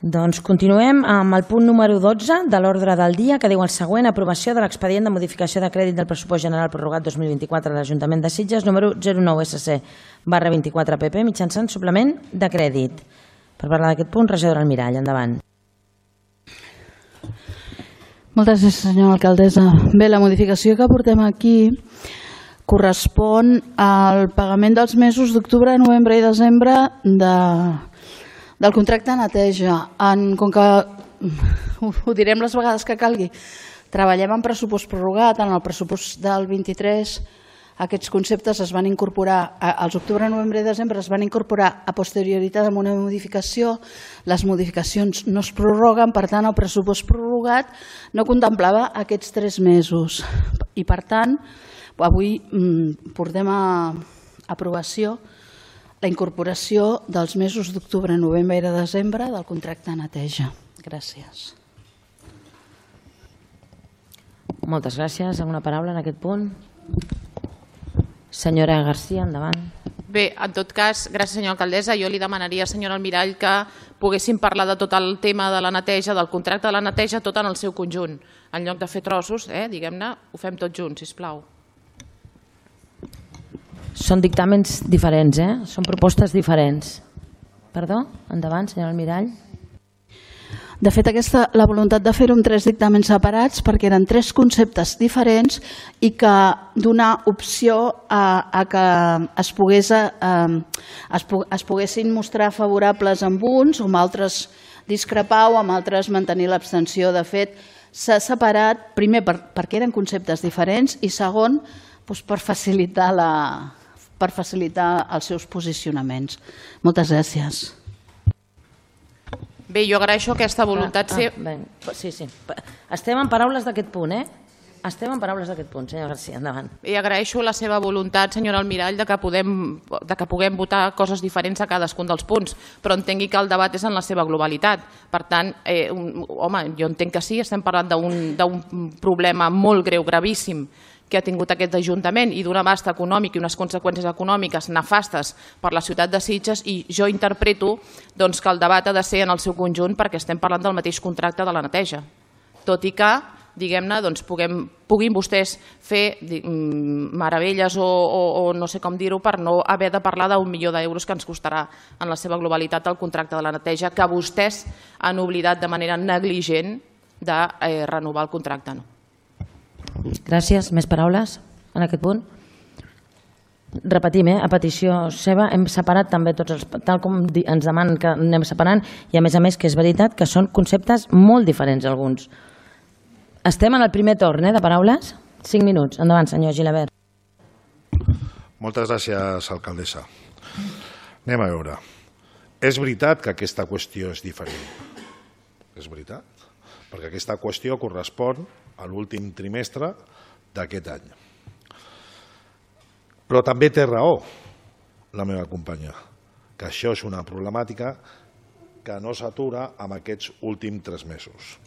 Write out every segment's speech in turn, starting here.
Doncs continuem amb el punt número 12 de l'ordre del dia, que diu el següent: aprovació de l'expedient de modificació de crèdit del pressupost general prorrogat 2024 de l'Ajuntament de Sitges, número 09SC/24PP, mitjançant suplement de crèdit. Per parlar d'aquest punt, regidora Almirall, endavant. Moltes gràcies, senyora alcaldessa. Bé, la modificació que portem aquí correspon al pagament dels mesos d'octubre, novembre i desembre del contracte de neteja. Com que ho direm les vegades que calgui, treballem en pressupost prorrogat. En el pressupost del 23 aquests conceptes es van incorporar, als octubre, novembre i desembre es van incorporar a posterioritat amb una modificació. Les modificacions no es prorroguen, per tant el pressupost prorrogat no contemplava aquests 3 mesos. I per tant, avui portem a aprovació la incorporació dels mesos d'octubre, novembre i desembre del contracte de neteja. Gràcies. Moltes gràcies. Alguna paraula en aquest punt? Senyora García, endavant. Bé, en tot cas, gràcies senyora alcaldessa, jo li demanaria, senyora Almirall, que poguéssim parlar de tot el tema de la neteja, del contracte de la neteja, tot en el seu conjunt. En lloc de fer trossos, diguem-ne, ho fem tot junts, sisplau. Són dictàmens diferents, són propostes diferents. Perdó? Endavant, senyora Almirall. De fet, la voluntat de fer-ho amb 3 dictàmens separats perquè eren 3 conceptes diferents i que donar opció a que es poguessin mostrar favorables amb uns, o amb altres discrepar o amb altres mantenir l'abstenció. De fet, s'ha separat, primer perquè eren conceptes diferents i segon, per facilitar els seus posicionaments. Moltes gràcies. Bé, jo agraeixo aquesta voluntat. Sí. Estem en paraules d'aquest punt, Estem en paraules d'aquest punt, senyora García, endavant. I agraeixo la seva voluntat, senyora Almirall, de que puguem votar coses diferents a cadascun dels punts, però entengui que el debat és en la seva globalitat. Per tant, home, jo entenc que sí, estem parlant d'un problema molt greu, gravíssim, que ha tingut aquest Ajuntament i d'un abast econòmic i unes conseqüències econòmiques nefastes per la ciutat de Sitges, i jo interpreto que el debat ha de ser en el seu conjunt perquè estem parlant del mateix contracte de la neteja. Tot i que, diguem-ne, puguin vostès fer meravelles o no sé com dir-ho per no haver de parlar d'1 milió d'euros que ens costarà en la seva globalitat el contracte de la neteja, que vostès han oblidat de manera negligent de renovar el contracte. Gràcies. Més paraules en aquest punt? Repetim, a petició seva hem separat també tots, tal com ens demanen que anem separant, i a més que és veritat que són conceptes molt diferents alguns. Estem en el primer torn de paraules. 5 minuts. Endavant, senyor Gilabert. Moltes gràcies, alcaldessa. Anem a veure. És veritat que aquesta qüestió és diferent. És veritat. Perquè aquesta qüestió correspon a l'últim trimestre d'aquest any. Però també té raó la meva companya, que això és una problemàtica que no s'atura amb aquests últims 3 mesos.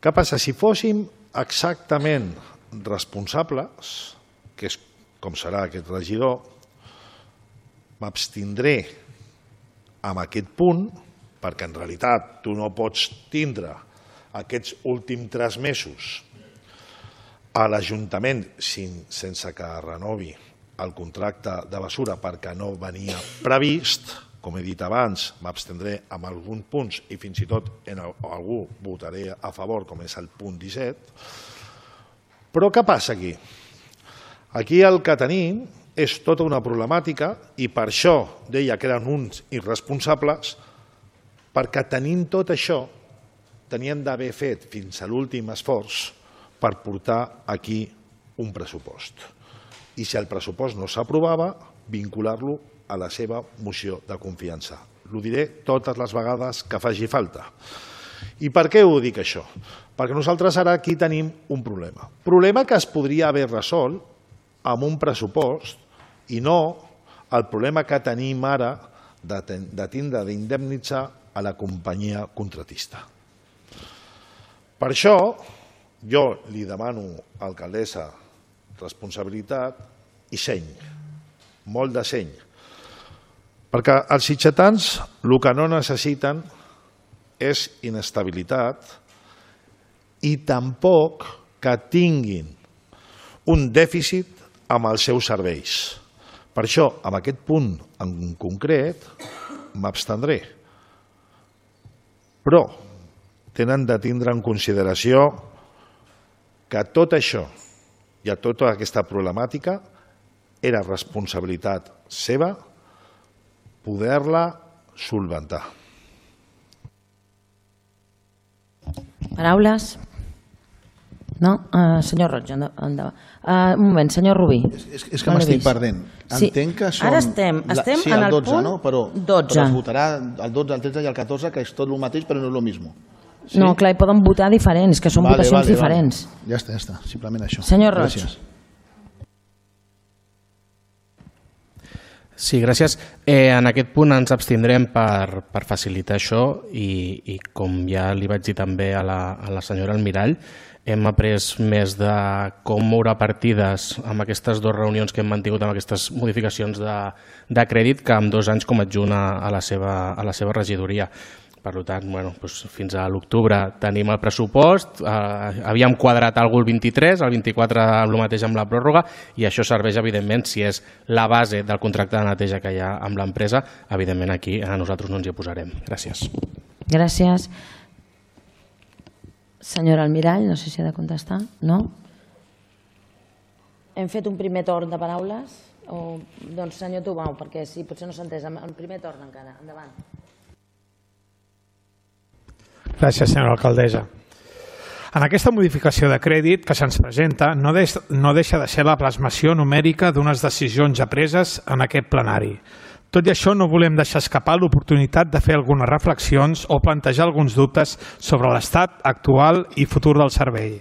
Què passa? Si fóssim exactament responsables, que és com serà aquest regidor, m'abstindré amb aquest punt, perquè en realitat tu no pots tindre aquests últims 3 mesos a l'Ajuntament sense que renovi el contracte de bessura perquè no venia previst. Com he dit abans, m'abstendré amb alguns punts i fins i tot en algú votaré a favor, com és el punt 17. Però què passa aquí? Aquí el que tenim és tota una problemàtica i per això deia que eren uns irresponsables, perquè tenint tot això tenien d'haver fet fins a l'últim esforç per portar aquí un pressupost. I si el pressupost no s'aprovava, vincular-lo a la seva moció de confiança. Ho diré totes les vegades que faci falta. I per què ho dic això? Perquè nosaltres ara aquí tenim un problema. Problema que es podria haver resolt amb un pressupost i no el problema que tenim ara de tindre d'indemnitzar a la companyia contratista. Per això jo li demano, alcaldessa, responsabilitat i seny, molt de seny. Perquè els sitgetans el que no necessiten és inestabilitat i tampoc que tinguin un dèficit amb els seus serveis. Per això, en aquest punt en concret, m'abstendré. Però tenen de tindre en consideració que tot això i tota aquesta problemàtica era responsabilitat seva poder-la solventar. Paraules? No? Senyor Roig, endavant. Un moment, senyor Rubí. És que m'estic perdent. Entenc que són... Ara estem en el punt 12. Però es votarà el 12, el 13 i el 14, que és tot el mateix, però no és el mismo. No, clar, hi poden votar diferents, que són votacions diferents. Ja està, simplement això. Senyor Roig. Sí, gràcies. En aquest punt ens abstindrem per facilitar això i com ja li vaig dir també a la senyora Almirall, hem après més de com moure partides amb aquestes dues reunions que hem mantingut amb aquestes modificacions de crèdit que en 2 anys com adjunt a la seva regidoria. Per tant, fins a l'octubre tenim el pressupost, havíem quadrat el 23, el 24 el mateix amb la pròrroga i això serveix, evidentment, si és la base del contracte de neteja que hi ha amb l'empresa, evidentment aquí nosaltres no ens hi oposarem. Gràcies. Gràcies. Senyora Almirall, no sé si ha de contestar. No? Hem fet un primer torn de paraules? Doncs senyor Tubau, perquè si potser no s'ha entès, el primer torn encara. Endavant. Gràcies, senyora alcaldessa. En aquesta modificació de crèdit que se'ns presenta no deixa de ser la plasmació numèrica d'unes decisions apreses en aquest plenari. Tot i això, no volem deixar escapar l'oportunitat de fer algunes reflexions o plantejar alguns dubtes sobre l'estat actual i futur del servei.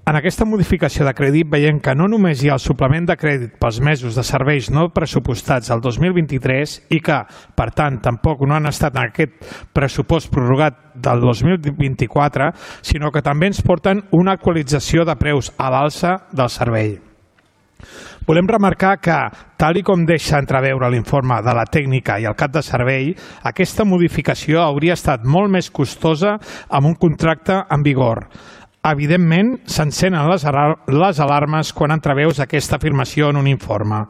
En aquesta modificació de crèdit veiem que no només hi ha el suplement de crèdit pels mesos de serveis no pressupostats al 2023 i que, per tant, tampoc no han estat en aquest pressupost prorrogat del 2024, sinó que també ens porten una actualització de preus a l'alça del servei. Volem remarcar que, tal i com deixa entreveure l'informe de la tècnica i el cap de servei, aquesta modificació hauria estat molt més costosa amb un contracte en vigor. Evidentment, s'encenen les alarmes quan entreveus aquesta afirmació en un informe.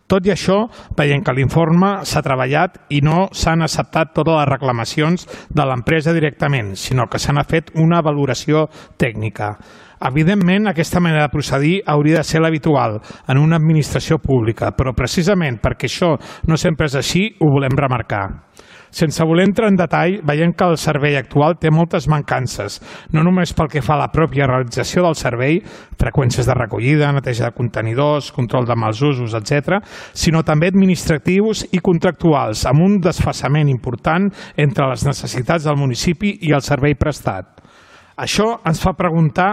Tot i això, veiem que l'informe s'ha treballat i no s'han acceptat totes les reclamacions de l'empresa directament, sinó que se n'ha fet una valoració tècnica. Evidentment, aquesta manera de procedir hauria de ser l'habitual en una administració pública, però precisament perquè això no sempre és així, ho volem remarcar. Sense voler entrar en detall, veiem que el servei actual té moltes mancances, no només pel que fa a la pròpia realització del servei, freqüències de recollida, neteja de contenidors, control de mals usos, etc., sinó també administratius i contractuals, amb un desfasament important entre les necessitats del municipi i el servei prestat. Això ens fa preguntar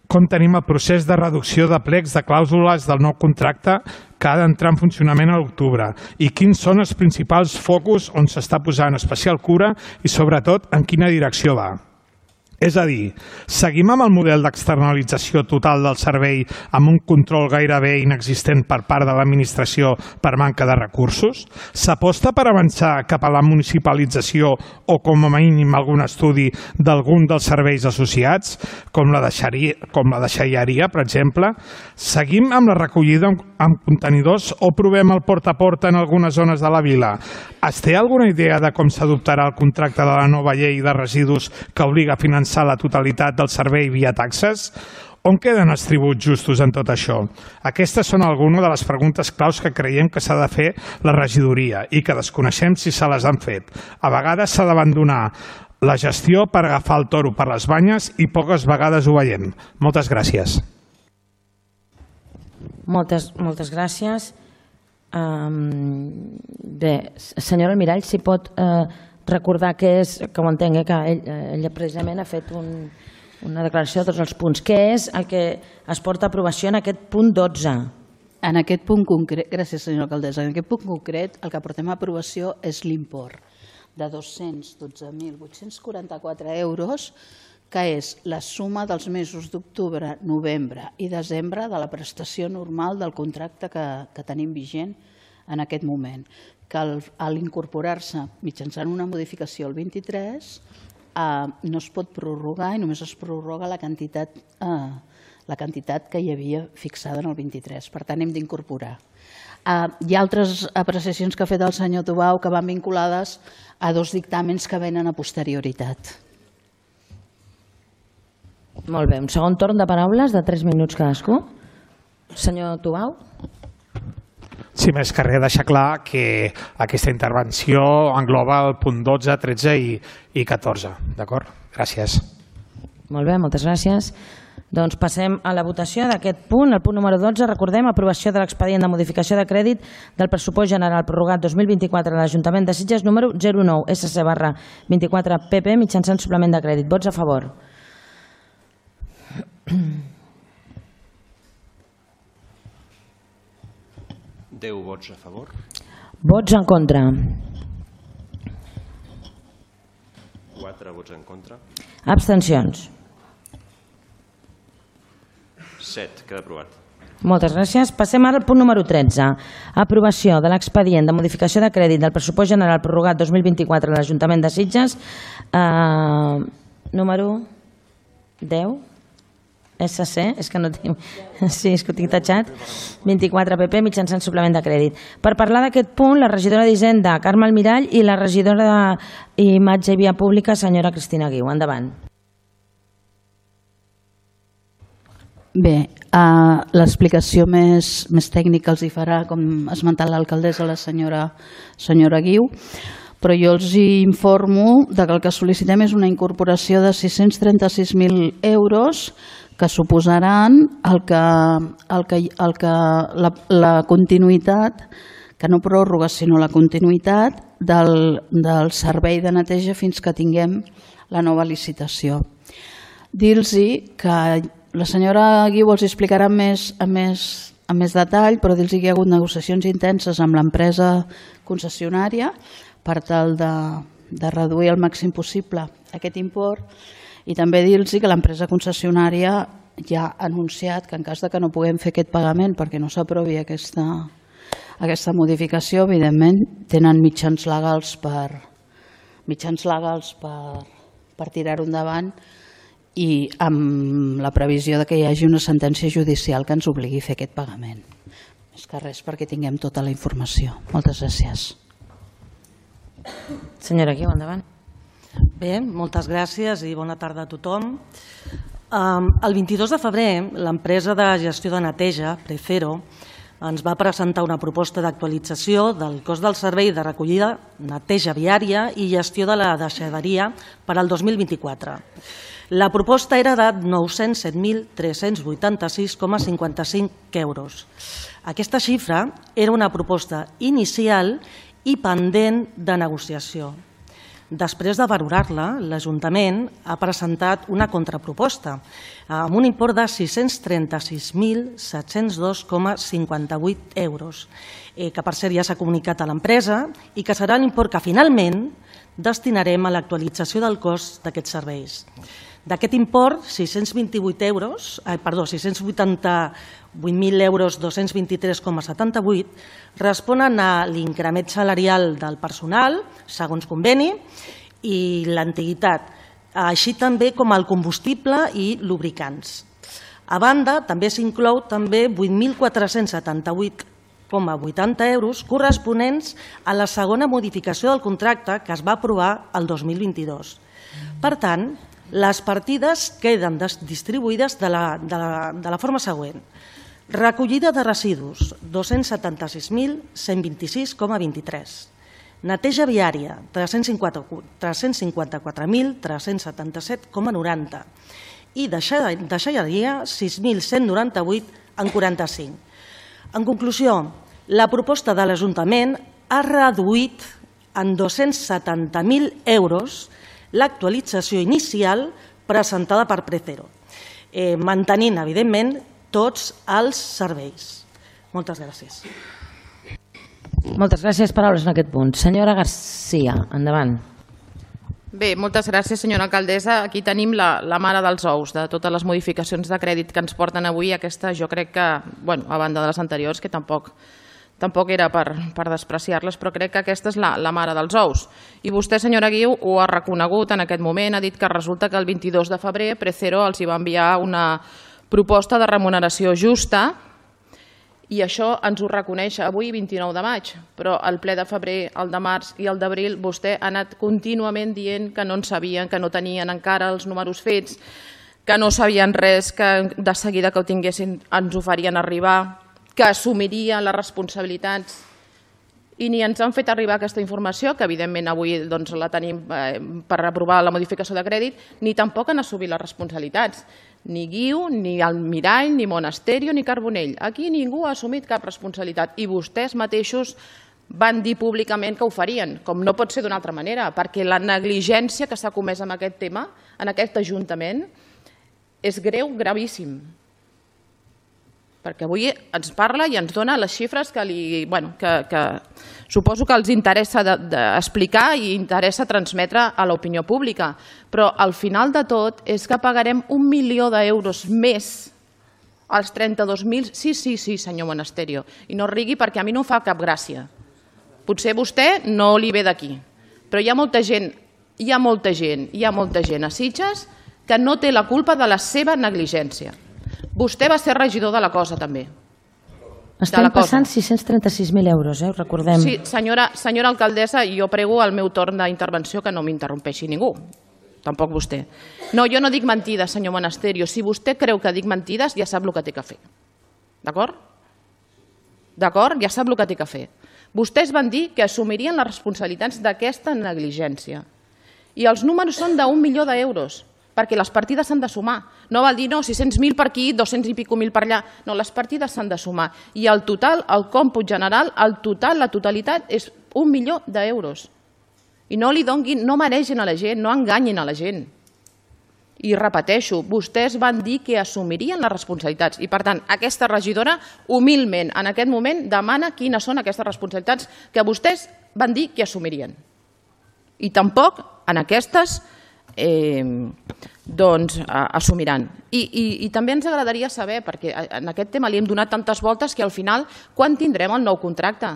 com tenim el procés de reducció de plecs de clàusules del nou contracte que ha d'entrar en funcionament a l'octubre i quins són els principals focus on s'està posant especial cura i, sobretot, en quina direcció va. És a dir, seguim amb el model d'externalització total del servei amb un control gairebé inexistent per part de l'administració per manca de recursos? S'aposta per avançar cap a la municipalització o, com a mínim, algun estudi d'algun dels serveis associats, com la deixalleria, per exemple? Seguim amb la recollida amb contenidors o provem el porta a porta en algunes zones de la vila? Es té alguna idea de com s'adoptarà el contracte de la nova llei de residus que obliga a finançar la totalitat del servei via taxes? On queden els tributs justos en tot això? Aquestes són algunes de les preguntes claus que creiem que s'ha de fer la regidoria i que desconeixem si se les han fet. A vegades s'ha d'abandonar la gestió per agafar el toro per les banyes i poques vegades ho veiem. Moltes gràcies. Moltes gràcies. Bé, senyora Almirall, si pot recordar què és, que ho entenc, que ella precisament ha fet una declaració de tots els punts. Què és el que es porta a aprovació en aquest punt 12? En aquest punt concret, gràcies senyora alcaldessa, en aquest punt concret el que portem a aprovació és l'import de 212.844 euros, que és la suma dels mesos d'octubre, novembre i desembre de la prestació normal del contracte que tenim vigent en aquest moment. que a l'incorporar-se mitjançant una modificació al 23 no es pot prorrogar i només es prorroga la quantitat que hi havia fixada en el 23. Per tant, hem d'incorporar. Hi ha altres apreciacions que ha fet el senyor Tubau que van vinculades a dos dictàmens que venen a posterioritat. Molt bé, un segon torn de paraules de 3 minuts cadascú. Senyor Tubau. Sí, més que res deixar clar que aquesta intervenció engloba el punt 12, 13 i 14. D'acord? Gràcies. Molt bé, moltes gràcies. Doncs passem a la votació d'aquest punt. El punt número 12, recordem, aprovació de l'expedient de modificació de crèdit del pressupost general prorrogat 2024 a l'Ajuntament de Sitges número 09 SC/24 PP mitjançant suplement de crèdit. Vots a favor. Deu vots a favor. Vots en contra. 4 vots en contra. Abstencions. 7. Queda aprovat. Moltes gràcies. Passem ara al punt número 13. Aprovació de l'expedient de modificació de crèdit del pressupost general prorrogat 2024 a l'Ajuntament de Sitges número 10 SC, és que no tinc... Sí, és que ho tinc tatxat. 24 PP mitjançant suplement de crèdit. Per parlar d'aquest punt, la regidora d'Hisenda, Carme Almirall, i la regidora d'Imatge i Via Pública, senyora Cristina Guiu. Endavant. Bé, l'explicació més tècnica els hi farà, com ha esmentat l'alcaldessa, la senyora Guiu, però jo els informo que el que sol·licitem és una incorporació de 636.000 euros que suposaran la continuïtat, que no pròrroga, sinó la continuïtat del servei de neteja fins que tinguem la nova licitació. Dir-los que la senyora Guiu els explicarà amb més detall, però dir-los que hi ha hagut negociacions intenses amb l'empresa concessionària per tal de reduir al màxim possible aquest import, i també dir-los que l'empresa concessionària ja ha anunciat que en cas que no puguem fer aquest pagament perquè no s'aprovi aquesta modificació, evidentment tenen mitjans legals per tirar-ho endavant, i amb la previsió que hi hagi una sentència judicial que ens obligui a fer aquest pagament. Més que res perquè tinguem tota la informació. Moltes gràcies. Senyora Guiu, endavant. Bé, moltes gràcies i bona tarda a tothom. El 22 de febrer, l'empresa de gestió de neteja, Prefero, ens va presentar una proposta d'actualització del cost del servei de recollida, neteja viària i gestió de la deixalleria per al 2024. La proposta era de 907.386,55 euros. Aquesta xifra era una proposta inicial i pendent de negociació. Després de valorar-la, l'Ajuntament ha presentat una contraproposta amb un import de 636.702,58 euros, que per cert ja s'ha comunicat a l'empresa i que serà l'import que finalment destinarem a l'actualització del cost d'aquests serveis. D'aquest import, 688.223,78 euros responen a l'increment salarial del personal, segons conveni, i l'antiguitat, així també com el combustible i lubricants. A banda, també s'inclou 8.478,80 euros corresponents a la segona modificació del contracte que es va aprovar el 2022. Per tant, les partides queden distribuïdes de la forma següent. Recollida de residus, 276.126,23. Neteja viària, 354.377,90. I deixalleria, 6.198,45. En conclusió, la proposta de l'Ajuntament ha reduït en 270.000 euros l'actualització inicial presentada per Prefero, mantenint, evidentment, tots els serveis. Moltes gràcies. Moltes gràcies. Paraules en aquest punt. Senyora Garcia, endavant. Bé, moltes gràcies, senyora alcaldessa. Aquí tenim la mare dels ous de totes les modificacions de crèdit que ens porten avui. Aquesta jo crec que, a banda de les anteriors, que tampoc tampoc era per despreciar-les, però crec que aquesta és la mare dels ous. I vostè, senyora Guiu, ho ha reconegut en aquest moment, ha dit que resulta que el 22 de febrer Precero els hi va enviar una proposta de remuneració justa i això ens ho reconeix avui, 29 de maig, però el ple de febrer, el de març i el d'abril vostè ha anat contínuament dient que no en sabien, que no tenien encara els números fets, que no sabien res, que de seguida que ho tinguessin ens ho farien arribar, que assumirien les responsabilitats i ni ens han fet arribar aquesta informació, que evidentment avui la tenim per aprovar la modificació de crèdit, ni tampoc han assumit les responsabilitats. Ni Guiu, ni Almirall, ni Monasterio, ni Carbonell. Aquí ningú ha assumit cap responsabilitat i vostès mateixos van dir públicament que ho farien, com no pot ser d'una altra manera, perquè la negligència que s'ha comès en aquest tema, en aquest Ajuntament, és greu, gravíssim. Perquè avui ens parla i ens dona les xifres que suposo que els interessa explicar i interessa transmetre a l'opinió pública. Però al final de tot és que pagarem 1 milió d'euros més als 32.000... Sí, senyor Monasterio. I no rigui perquè a mi no em fa cap gràcia. Potser vostè no li ve d'aquí. Però hi ha molta gent a Sitges que no té la culpa de la seva negligència. Vostè va ser regidor de la Cosa, també. Estem passant 636.000 euros, recordem. Sí, senyora alcaldessa, jo prego al meu torn d'intervenció que no m'interrompeixi ningú. Tampoc vostè. No, jo no dic mentides, senyor Monasterio. Si vostè creu que dic mentides, ja sap el que té que fer. D'acord? D'acord? Ja sap el que té que fer. Vostès van dir que assumirien les responsabilitats d'aquesta negligència. I els números són d'1 milió d'euros, perquè les partides s'han de sumar. No val dir, no, 600.000 per aquí, 200 i pico mil per allà. No, les partides s'han de sumar. I el total, el còmput general, la totalitat és 1 milió d'euros. I no li donguin, no maregin a la gent, no enganyin a la gent. I repeteixo, vostès van dir que assumirien les responsabilitats. I per tant, aquesta regidora, humilment, en aquest moment, demana quines són aquestes responsabilitats que vostès van dir que assumirien. I tampoc en aquestes assumiran. I també ens agradaria saber, perquè en aquest tema li hem donat tantes voltes que al final, quan tindrem el nou contracte?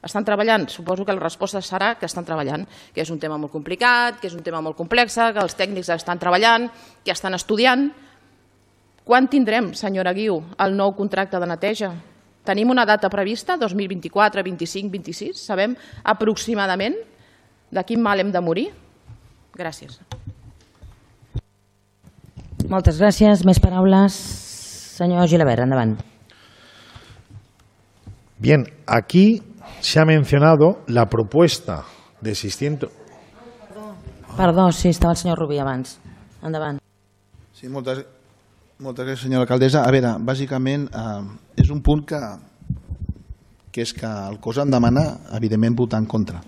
Estan treballant? Suposo que la resposta serà que estan treballant, que és un tema molt complicat, que és un tema molt complex, que els tècnics estan treballant, que estan estudiant. Quan tindrem, senyora Guiu, el nou contracte de neteja? Tenim una data prevista, 2024, 25, 26? Sabem aproximadament de quin mal hem de morir? Gràcies. Moltes gràcies. Més paraules. Senyor Gilabert, endavant. Bien, aquí se ha mencionado la propuesta de 600... Perdó, sí, estava el senyor Rubí abans. Endavant. Sí, moltes gràcies, senyora alcaldessa. A veure, bàsicament és un punt que és que el cos en demana, evidentment, votar en contra.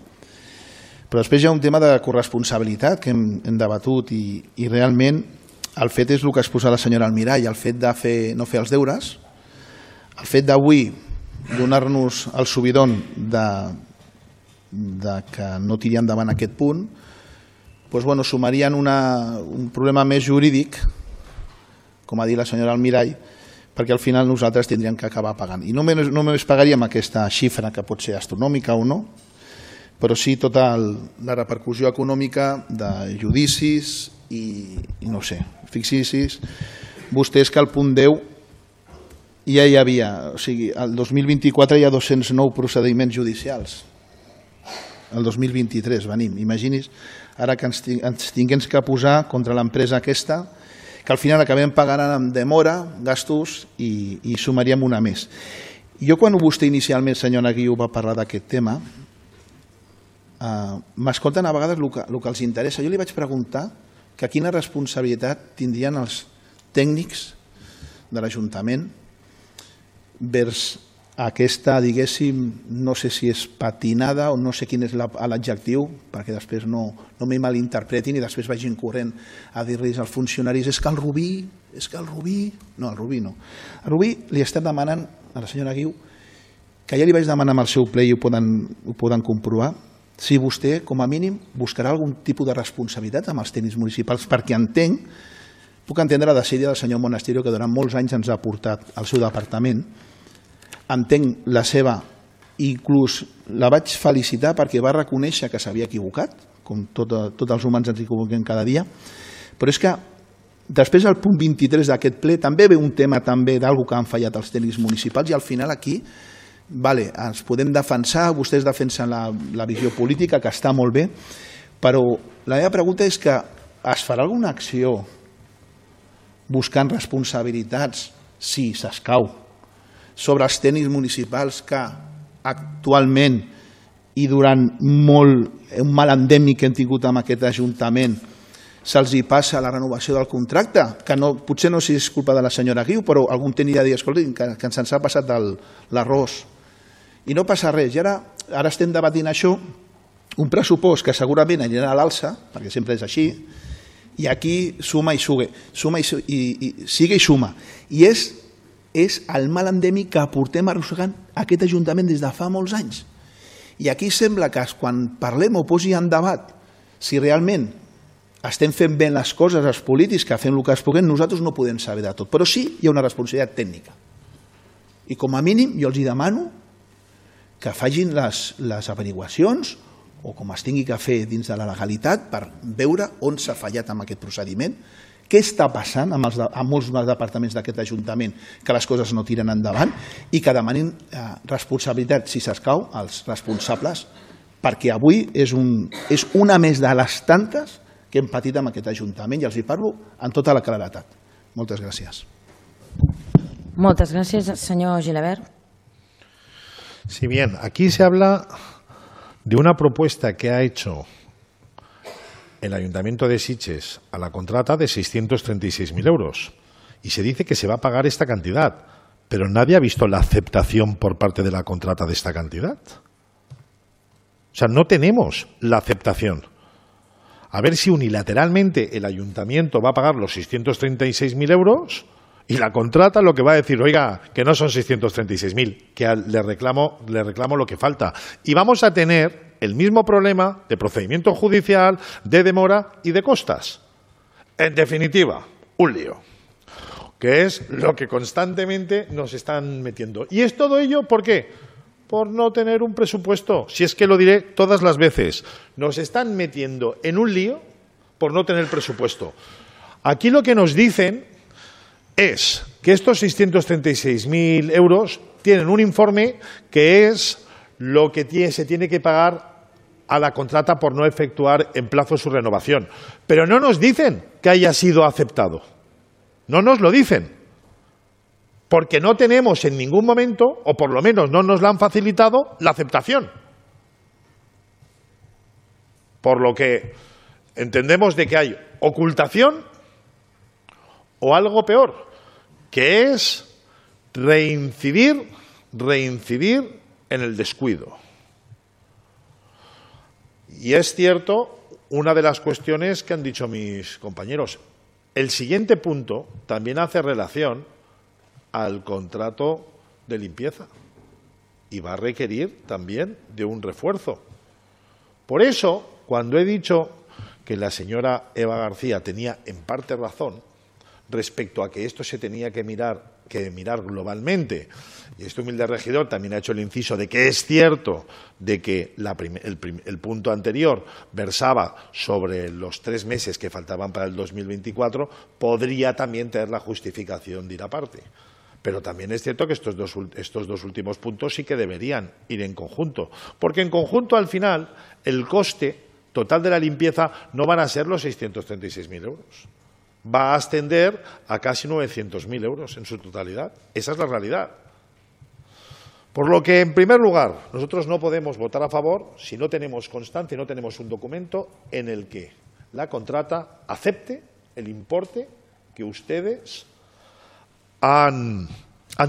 Però després hi ha un tema de corresponsabilitat que hem debatut i realment el fet és el que exposa la senyora Almirall, el fet de no fer els deures, el fet d'avui donar-nos el subidon de que no tiri endavant aquest punt, doncs, sumarien un problema més jurídic, com ha dit la senyora Almirall, perquè al final nosaltres tindríem que acabar pagant. I no només pagaríem aquesta xifra, que pot ser astronòmica o no, però sí tota la repercussió econòmica de judicis i no sé, fixis vostès que al punt 10 ja hi havia, o sigui, el 2024 hi ha 209 procediments judicials, el 2023 venim, imagini's ara que ens tinguem que posar contra l'empresa aquesta, que al final acabem pagant amb demora, gastos i sumaríem una més. Jo quan vostè inicialment, senyora Guiu, va parlar d'aquest tema, m'escolten a vegades el que els interessa. Jo li vaig preguntar que quina responsabilitat tindrien els tècnics de l'Ajuntament vers aquesta, diguéssim, no sé si és patinada o no sé quin és l'adjectiu, perquè després no m'hi malinterpretin i després vagin corrent a dir-los als funcionaris és que el Rubí... No, el Rubí no. Al Rubí li estem demanant a la senyora Guiu, que ja li vaig demanar amb el seu ple i ho poden comprovar, si vostè, com a mínim, buscarà algun tipus de responsabilitat amb els tècnics municipals, perquè puc entendre la desídia del senyor Monasterio, que durant molts anys ens ha portat al seu departament, entenc la seva inclús la vaig felicitar perquè va reconèixer que s'havia equivocat, com tots els humans ens equivoquem cada dia, però és que després al punt 23 d'aquest ple també ve un tema també d'alguna que han fallat els tècnics municipals i al final aquí ens podem defensar, vostès defensen la visió política, que està molt bé, però la meva pregunta és que es farà alguna acció buscant responsabilitats, si s'escau, sobre els tècnics municipals que actualment i durant un mal endèmic que hem tingut amb aquest Ajuntament se'ls hi passa la renovació del contracte, que potser no és culpa de la senyora Guiu, però algun tècnic ha dit, escolta, que se'ns ha passat l'arròs. I no passa res. I ara estem debatint això, un pressupost que segurament anirà a l'alça, perquè sempre és així, i aquí suma i sigue i suma. I és el mal endèmic que portem arrossegant aquest Ajuntament des de fa molts anys. I aquí sembla que quan parlem o posi en debat si realment estem fent bé les coses, els polítics, que fem el que es puguem, nosaltres no podem saber de tot. Però sí hi ha una responsabilitat tècnica. I com a mínim jo els demano que facin les averiguacions o com es tingui que fer dins de la legalitat per veure on s'ha fallat amb aquest procediment, què està passant amb molts departaments d'aquest Ajuntament que les coses no tiren endavant i que demanin responsabilitat, si s'escau, als responsables, perquè avui és una més de les tantes que hem patit amb aquest Ajuntament i els hi parlo amb tota la claredat. Moltes gràcies. Moltes gràcies, senyor Gilabert. Sí, bien, aquí se habla de una propuesta que ha hecho el Ayuntamiento de Sitges a la contrata de 636.000 euros y se dice que se va a pagar esta cantidad, pero nadie ha visto la aceptación por parte de la contrata de esta cantidad. O sea, no tenemos la aceptación. A ver si unilateralmente el Ayuntamiento va a pagar los 636.000 euros y la contrata lo que va a decir, oiga, que no son 636.000, que le reclamo lo que falta. Y vamos a tener el mismo problema de procedimiento judicial, de demora y de costas. En definitiva, un lío, que es lo que constantemente nos están metiendo. ¿Y es todo ello por qué? Por no tener un presupuesto. Si es que lo diré todas las veces. Nos están metiendo en un lío por no tener presupuesto. Aquí lo que nos dicen es que estos 636.000 euros tienen un informe que es lo que se tiene que pagar a la contrata por no efectuar en plazo su renovación. Pero no nos dicen que haya sido aceptado. No nos lo dicen. Porque no tenemos en ningún momento, o por lo menos no nos la han facilitado, la aceptación. Por lo que entendemos de que hay ocultación o algo peor, que es reincidir en el descuido. Y es cierto una de las cuestiones que han dicho mis compañeros. El siguiente punto también hace relación al contrato de limpieza y va a requerir también de un refuerzo. Por eso, cuando he dicho que la señora Eva García tenía en parte razón respecto a que esto se tenía que mirar globalmente, y este humilde regidor también ha hecho el inciso de que es cierto de que el punto anterior versaba sobre los 3 meses que faltaban para el 2024, podría también tener la justificación de ir aparte. Pero también es cierto que estos dos últimos puntos sí que deberían ir en conjunto, porque en conjunto al final el coste total de la limpieza no van a ser los 636.000 euros. Va a ascender a casi 900.000 euros en su totalidad. Esa es la realidad. Por lo que, en primer lugar, nosotros no podemos votar a favor si no tenemos constancia, no tenemos un documento en el que la contrata acepte el importe que ustedes han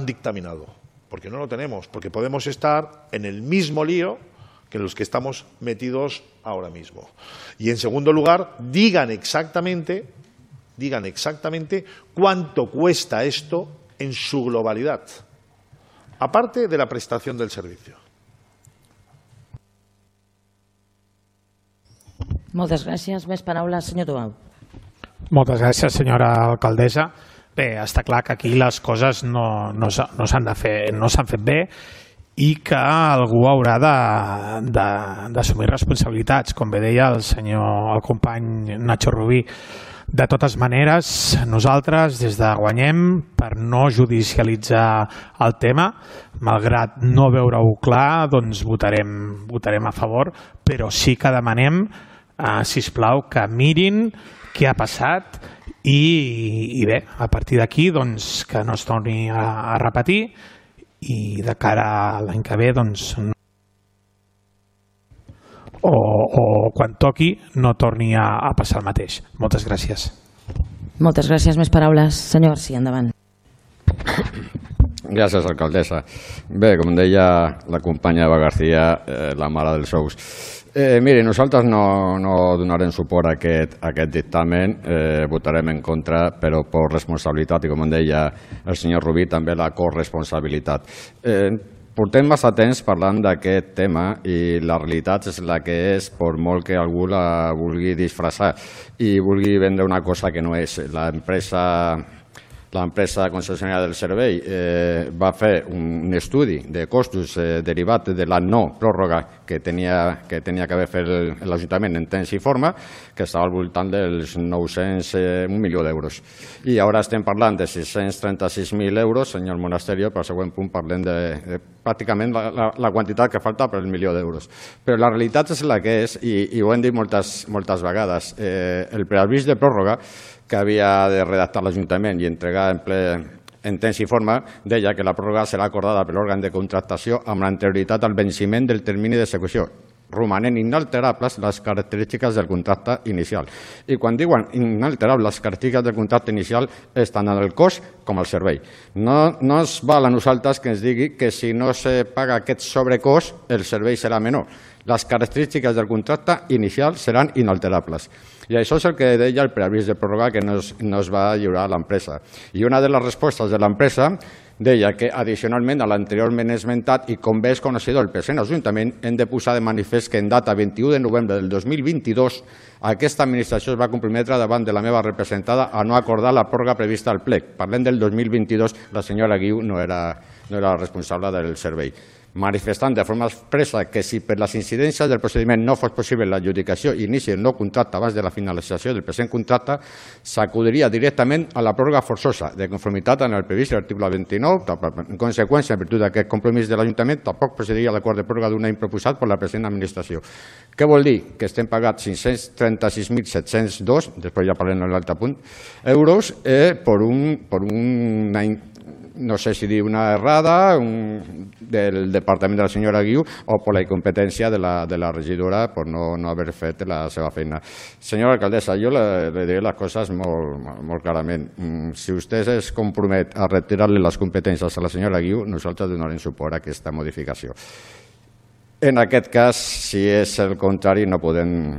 dictaminado. Porque no lo tenemos, porque podemos estar en el mismo lío que los que estamos metidos ahora mismo. Y, en segundo lugar, digan exactamente cuánto cuesta esto en su globalidad, aparte de la prestación del servicio. Moltes gràcies. Més paraules, senyor Tubau. Moltes gràcies, senyora alcaldessa. Bé, està clar que aquí les coses no s'han fet bé i que algú haurà d'assumir responsabilitats, com bé deia el company Nacho Rubí. De totes maneres, nosaltres des de Guanyem, per no judicialitzar el tema, malgrat no veure-ho clar, doncs votarem a favor, però sí que demanem, sisplau, que mirin què ha passat i bé, a partir d'aquí que no es torni a repetir i de cara a l'any que ve o quan toqui no torni a passar el mateix. Moltes gràcies. Moltes gràcies. Més paraules. Senyor García, endavant. Gràcies, alcaldessa. Bé, com deia la companya Eva García, la mare dels ous. Miri, nosaltres no donarem suport a aquest dictamen, votarem en contra, però per responsabilitat, i com deia el senyor Rubí, també la corresponsabilitat. Portem massa temps parlant d'aquest tema i la realitat és la que és, per molt que algú la vulgui disfressar i vulgui vendre una cosa que no és. L'empresa concessionària del servei va fer un estudi de costos derivat de la no pròrroga que tenia que haver fet l'Ajuntament en temps i forma, que estava al voltant dels 1 milió d'euros. I ara estem parlant de 636.000 euros, senyor Monasterio, per al següent punt parlem de pràcticament la quantitat que falta per el milió d'euros. Però la realitat és la que és, i ho hem dit moltes vegades, el preavís de pròrroga que havia de redactar l'Ajuntament i entregar en temps i forma, deia que la pròrroga serà acordada per l'òrgan de contractació amb l'anterioritat al venciment del termini d'execució, romanent inalterables les característiques del contracte inicial. I quan diuen inalterables les característiques del contracte inicial és tant en el cost com el servei. No es val a nosaltres que ens digui que si no se paga aquest sobrecost el servei serà menor. Les característiques del contracte inicial seran inalterables. I això és el que deia el preavís de pròrroga que no es va lliurar a l'empresa. I una de les respostes de l'empresa deia que, addicionalment a l'anteriorment esmentat, i com bé és coneixedor el present Ajuntament, hem de posar de manifest que en data 21 de novembre del 2022 aquesta administració es va comprometre davant de la meva representada a no acordar la pròrroga prevista al plec. Parlem del 2022, la senyora Guiu no era responsable del servei. Manifestant de forma expressa que si per les incidències del procediment no fos possible l'adjudicació i inici del nou contracte abans de la finalització del present contracte, s'acudiria directament a la pròrroga forçosa, de conformitat amb el previst a l'article 29. En conseqüència, en virtut d'aquest compromís de l'Ajuntament, tampoc procediria a l'acord de pròrroga d'un any proposat per la present administració. Què vol dir? Que estem pagant 536.702, després ja parlem en l'altre punt, euros per un any, no sé si dir una errada del departament de la senyora Guiu o per la incompetència de la regidora per no haver fet la seva feina. Senyora alcaldessa, jo le diré les coses molt clarament. Si vostè es compromet a retirar-li les competències a la senyora Guiu, nosaltres donarem suport a aquesta modificació. En aquest cas, si és el contrari, no podem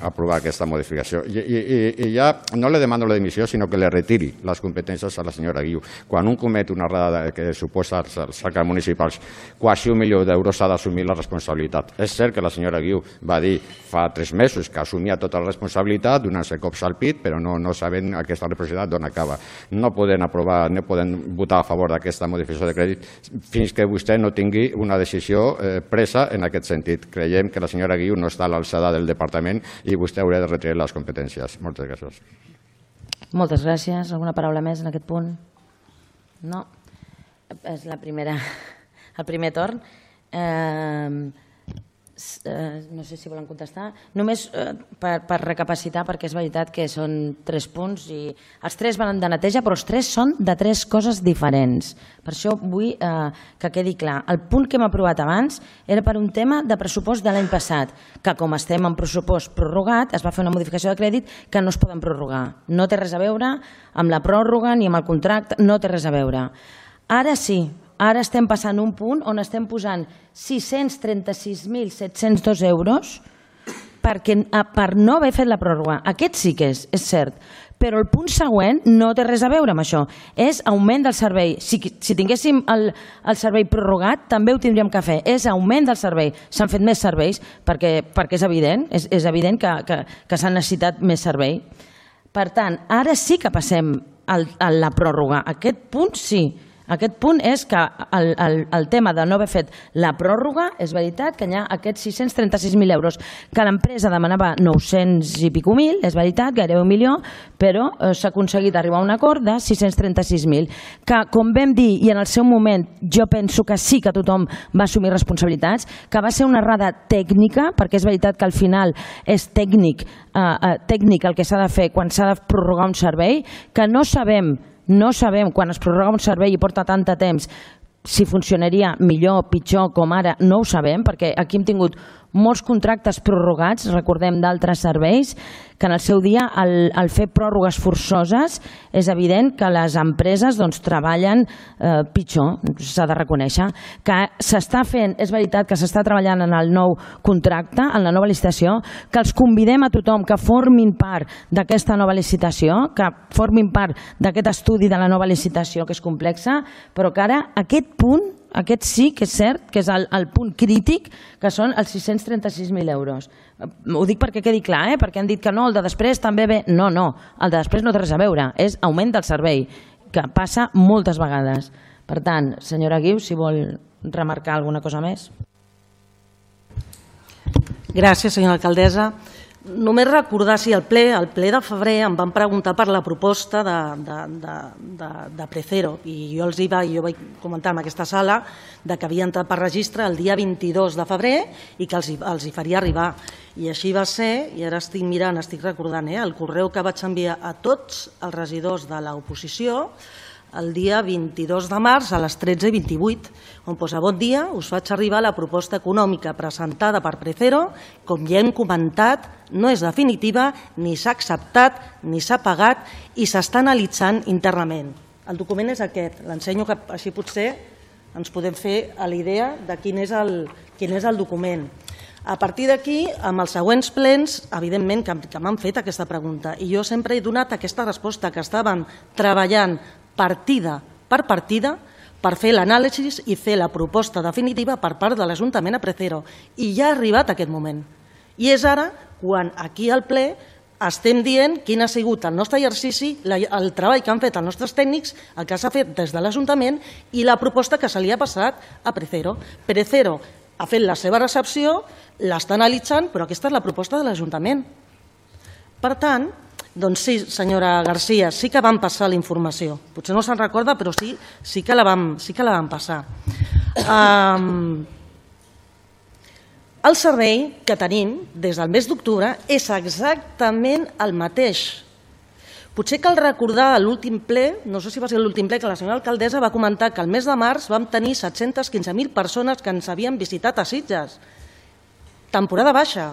aprovar aquesta modificació. I ja no le demano la dimissió, sinó que le retiri les competències a la senyora Guiu. Quan un comet una errada que suposa els arques municipals, quasi 1 milió d'euros ha d'assumir la responsabilitat. És cert que la senyora Guiu va dir fa 3 mesos que assumia tota la responsabilitat, donant-se cops al pit, però no sabent aquesta responsabilitat d'on acaba. No podem aprovar, no podem votar a favor d'aquesta modificació de crèdit fins que vostè no tingui una decisió presa en aquest sentit. Creiem que la senyora Guiu no està a l'alçada del departament i vostè hauria de retirar les competències. Moltes gràcies. Moltes gràcies. Alguna paraula més en aquest punt? No. És el primer torn. No sé si volen contestar. Només per recapacitar, perquè és veritat que són 3 punts i els 3 van de neteja, però els 3 són de 3 coses diferents. Per això vull que quedi clar. El punt que hem aprovat abans era per un tema de pressupost de l'any passat, que com estem en pressupost prorrogat, es va fer una modificació de crèdit que no es poden prorrogar. No té res a veure amb la pròrroga ni amb el contracte, no té res a veure. Ara sí. Ara estem passant un punt on estem posant 636.702 euros per no haver fet la pròrroga. Aquest sí que és cert, però el punt següent no té res a veure amb això. És augment del servei. Si tinguéssim el servei prorrogat, també ho tindríem que fer. És augment del servei. S'han fet més serveis perquè és evident, és evident que s'ha necessitat més servei. Per tant, ara sí que passem a la pròrroga. Aquest punt sí. Aquest punt és que el tema de no haver fet la pròrroga, és veritat que hi ha aquests 636.000 euros, que l'empresa demanava 900 i pico mil, és veritat, gairebé 1 milió, però s'ha aconseguit arribar a un acord de 636.000, que com vam dir, i en el seu moment jo penso que sí que tothom va assumir responsabilitats, que va ser una errada tècnica, perquè és veritat que al final és tècnic el que s'ha de fer quan s'ha de prorrogar un servei, que no sabem quan es prorroga un servei i porta tant de temps si funcionaria millor, pitjor, com ara, no ho sabem, perquè aquí hem tingut molts contractes prorrogats, recordem d'altres serveis, que en el seu dia al fer pròrrogues forçoses és evident que les empreses treballen pitjor, s'ha de reconèixer. Que s'està fent, és veritat que s'està treballant en el nou contracte, en la nova licitació, que els convidem a tothom que formin part d'aquesta nova licitació, que formin part d'aquest estudi de la nova licitació, que és complexa, però que ara aquest punt, aquest sí que és cert que és el punt crític, que són els 636.000 euros. Ho dic perquè quedi clar, perquè han dit que no, el de després també ve. No, el de després no té res a veure, és augment del servei, que passa moltes vegades. Per tant, senyora Guiu, si vol remarcar alguna cosa més. Gràcies, senyora alcaldessa. Només recordar, si al ple de febrer em van preguntar per la proposta de Precero i jo vaig comentar en aquesta sala que havia entrat per registre el dia 22 de febrer i que els hi faria arribar. I així va ser, i ara estic mirant, estic recordant el correu que vaig enviar a tots els regidors de l'oposició el dia 22 de març a les 13:28, on posa: bon dia, us faig arribar la proposta econòmica presentada per Precero. Com ja hem comentat, no és definitiva, ni s'ha acceptat, ni s'ha pagat i s'està analitzant internament. El document és aquest, l'ensenyo, que així potser ens podem fer a la idea de quin és el document. A partir d'aquí, amb els següents plens, evidentment que m'han fet aquesta pregunta i jo sempre he donat aquesta resposta, que estàvem treballant partida per partida per fer l'anàlisi i fer la proposta definitiva per part de l'Ajuntament a Precero. I ja ha arribat aquest moment. I és ara quan aquí al ple estem dient quin ha sigut el nostre exercici, el treball que han fet els nostres tècnics, el que s'ha fet des de l'Ajuntament i la proposta que se li ha passat a Precero. Precero ha fet la seva recepció, l'està analitzant, però aquesta és la proposta de l'Ajuntament. Per tant, doncs sí, senyora García, sí que vam passar la informació. Potser no se'n recorda, però sí que la vam passar. El servei que tenim des del mes d'octubre és exactament el mateix. Potser cal recordar l'últim ple, no sé si va ser l'últim ple, que la senyora alcaldessa va comentar que el mes de març vam tenir 715.000 persones que ens havien visitat a Sitges. Temporada baixa.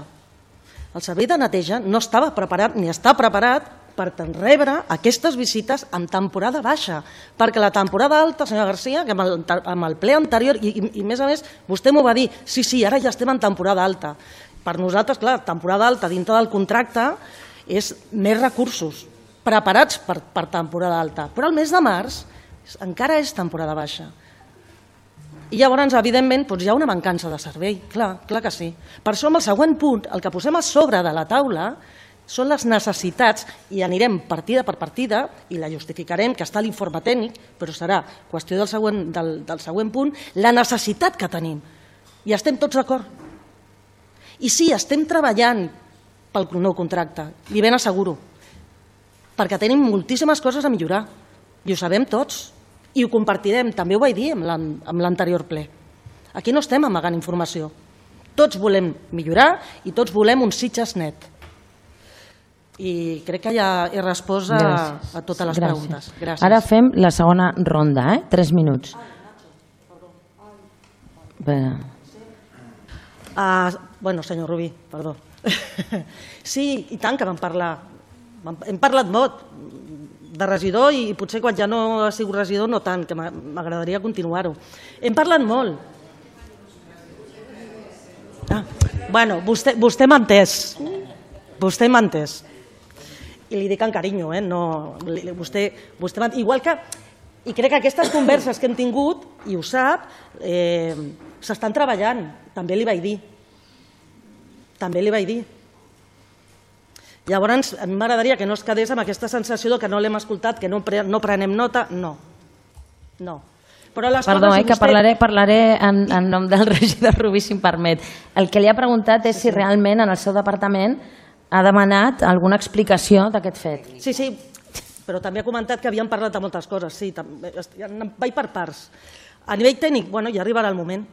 El servei de neteja no estava preparat ni està preparat per rebre aquestes visites en temporada baixa, perquè la temporada alta, senyora García, que amb el ple anterior, i més a més, vostè m'ho va dir, sí, ara ja estem en temporada alta. Per nosaltres, clar, temporada alta dintre del contracte és més recursos preparats per temporada alta, però el mes de març encara és temporada baixa. I llavors, evidentment, hi ha una mancança de servei, clar que sí. Per això, amb el següent punt, el que posem a sobre de la taula són les necessitats, i anirem partida per partida, i la justificarem, que està a l'informe tècnic, però serà qüestió del següent punt, la necessitat que tenim. I estem tots d'acord. I sí, estem treballant pel nou contracte, li ben asseguro, perquè tenim moltíssimes coses a millorar, i ho sabem tots. I ho compartirem, també ho vaig dir amb l'anterior ple. Aquí no estem amagant informació. Tots volem millorar i tots volem un Sitges net. I crec que ja he respost a totes les preguntes. Gràcies. Ara fem la segona ronda, 3 minuts. Bueno, senyor Rubí, perdó. Sí, i tant que vam parlar. Hem parlat molt de regidor i potser quan ja no ha sigut regidor no tant, que m'agradaria continuar-ho. Hem parlat molt. Bueno, vostè m'ha entès. Vostè m'ha entès. I li dic amb carinyo, vostè m'ha entès. Igual que, i crec que aquestes converses que hem tingut, i ho sap, s'estan treballant, també li vaig dir. També li vaig dir. Llavors, a mi m'agradaria que no es quedés amb aquesta sensació que no l'hem escoltat, que no prenem nota. No. Perdó, que parlaré en nom del regidor Rubí, si em permet. El que li ha preguntat és si realment en el seu departament ha demanat alguna explicació d'aquest fet. Sí, però també ha comentat que havien parlat de moltes coses. Sí, vaig per parts. A nivell tècnic, ja arribarà el moment.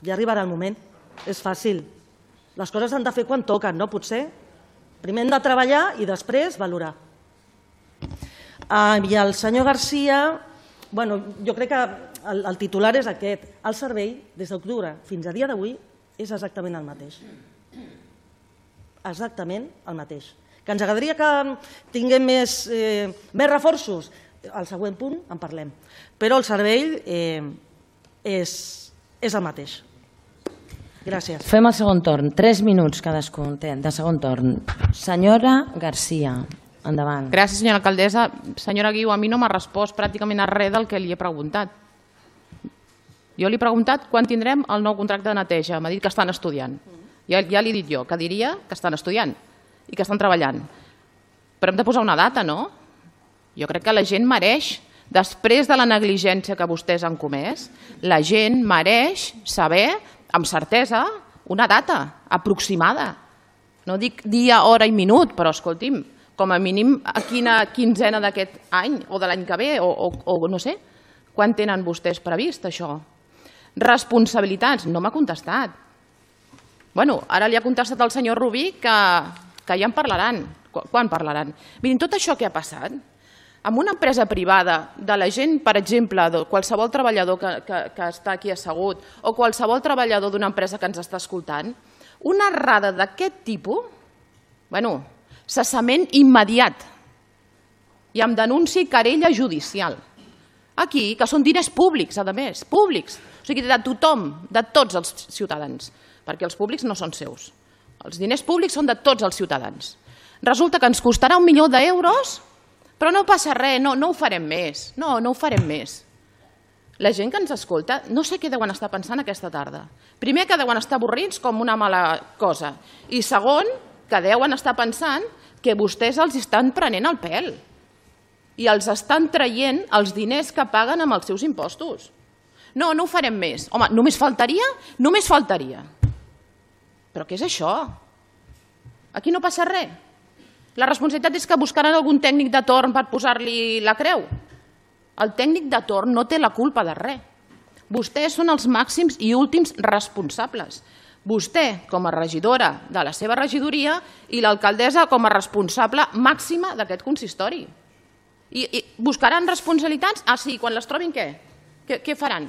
Ja arribarà el moment. És fàcil. Les coses s'han de fer quan toquen, no? Potser. Primer hem de treballar i després valorar. I el senyor Garcia, jo crec que el titular és aquest. El servei, des d'octubre fins a dia d'avui, és exactament el mateix. Exactament el mateix. Que ens agradaria que tinguem més reforços? Al següent punt en parlem. Però el servei és el mateix. Gràcies. Fem el segon torn. 3 minuts cadascun de segon torn. Senyora Garcia, endavant. Gràcies, senyora alcaldessa. Senyora Guiu, a mi no m'ha respost pràcticament a res del que li he preguntat. Jo li he preguntat quan tindrem el nou contracte de neteja. M'ha dit que estan estudiant. Ja li he dit jo, que diria que estan estudiant i que estan treballant. Però hem de posar una data, no? Jo crec que la gent mereix, després de la negligència que vostès han comès, la gent mereix saber, amb certesa, una data aproximada. No dic dia, hora i minut, però escolti'm, com a mínim a quina quinzena d'aquest any o de l'any que ve, o no sé, quan tenen vostès previst això? Responsabilitats, no m'ha contestat. Bueno, ara li ha contestat el senyor Rubí que ja en parlaran. Quan parlaran? Mirin, tot això que ha passat, amb una empresa privada de la gent, per exemple, qualsevol treballador que està aquí assegut o qualsevol treballador d'una empresa que ens està escoltant, una errada d'aquest tipus, cessament immediat i amb denúncia i querella judicial. Aquí, que són diners públics, a més, públics, o sigui, de tothom, de tots els ciutadans, perquè els públics no són seus. Els diners públics són de tots els ciutadans. Resulta que ens costarà 1 milió d'euros, però no passa res, no ho farem més. No ho farem més. La gent que ens escolta, no sé què deuen estar pensant aquesta tarda. Primer, que deuen estar avorrits com una mala cosa. I segon, que deuen estar pensant que vostès els estan prenent el pèl i els estan traient els diners que paguen amb els seus impostos. No ho farem més. Home, només faltaria? Només faltaria. Però què és això? Aquí no passa res. La responsabilitat és que buscaran algun tècnic de torn per posar-li la creu. El tècnic de torn no té la culpa de res. Vostès són els màxims i últims responsables. Vostè, com a regidora de la seva regidoria, i l'alcaldessa com a responsable màxima d'aquest consistori. I buscaran responsabilitats? Ah, sí, quan les trobin què? Què faran?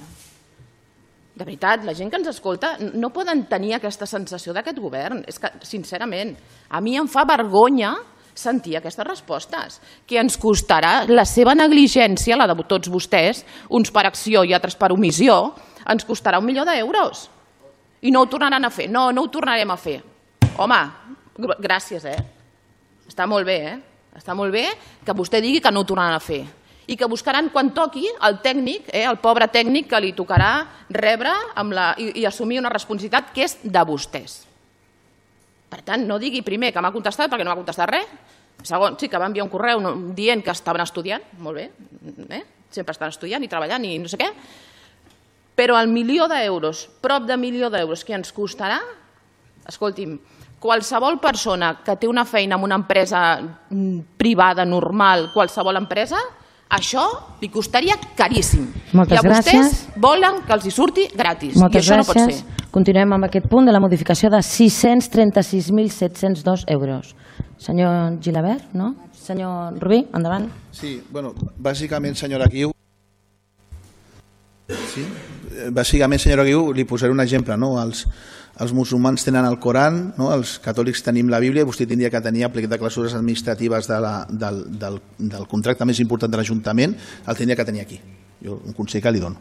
De veritat, la gent que ens escolta no poden tenir aquesta sensació d'aquest govern. És que, sincerament, a mi em fa vergonya sentir aquestes respostes, que ens costarà la seva negligència, la de tots vostès, uns per acció i altres per omissió, ens costarà 1 milió d'euros. I no ho tornaran a fer. No ho tornarem a fer. Home, gràcies, Està molt bé, Està molt bé que vostè digui que no ho tornaran a fer. I que buscaran quan toqui el tècnic, el pobre tècnic que li tocarà rebre i assumir una responsabilitat que és de vostès. Per tant, no digui primer que m'ha contestat perquè no m'ha contestat res. Segon, sí que va enviar un correu dient que estaven estudiant, molt bé, sempre estan estudiant i treballant i no sé què, però el 1 milió d'euros, prop de 1 milió d'euros que ens costarà, escolti'm, qualsevol persona que té una feina en una empresa privada, normal, qualsevol empresa, això li costaria caríssim. Moltes gràcies. I a vostès volen que els hi surti gratis. Moltes i això no pot gràcies. ser. Continuem amb aquest punt de la modificació de 636.702 euros. Senyor Gilabert, no? Senyor Rubí, endavant. Sí, bueno, bàsicament, senyora Guiu, li posaré un exemple, no? Els musulmans tenen el Coran, no? Els catòlics tenim la Bíblia, vostè tindria que tenir el plec de clausures administratives del contracte més important de l'Ajuntament, el tindria que tenir aquí. Jo un consell que li dono.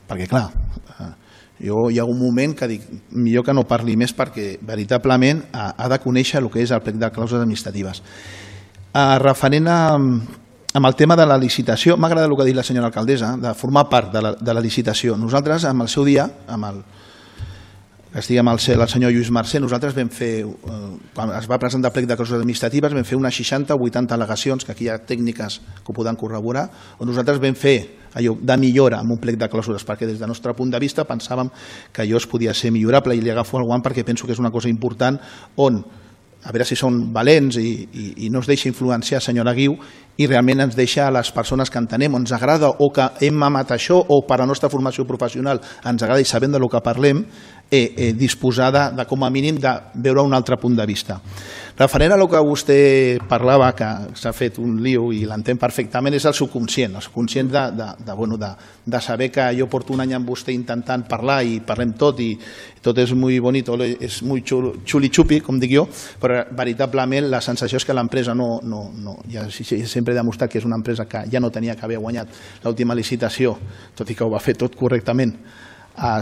Perquè, clar, jo hi ha un moment que dic, millor que no parli més perquè veritablement ha de conèixer el que és el plec de clausures administratives. Referent amb el tema de la licitació, m'agrada el que ha dit la senyora alcaldessa, de formar part de la licitació. Nosaltres, amb el seu dia, que estigui amb el senyor Lluís Mercè, nosaltres vam fer, quan es va presentar el plec de clausures administratives, vam fer unes 60 o 80 al·legacions, que aquí hi ha tècniques que ho poden corroborar, on nosaltres vam fer de millora amb un plec de clàusules, perquè des del nostre punt de vista pensàvem que allò es podia ser millorable i li agafo el guant perquè penso que és una cosa important on, a veure si són valents i no es deixa influenciar, senyora Guiu, i realment ens deixa a les persones que entenem, ens agrada o que hem mamat això o per a la nostra formació professional ens agrada i sabem del que parlem, disposar de, com a mínim, de veure un altre punt de vista. Referent a el que vostè parlava, que s'ha fet un lío i l'entenc perfectament, és el subconscient de saber que jo porto un any amb vostè intentant parlar i parlem tot i tot és molt bonito, és molt xuli-xupi, com dic jo, però veritablement la sensació és que l'empresa ja sempre he demostrat que és una empresa que ja no tenia que haver guanyat l'última licitació, tot i que ho va fer tot correctament,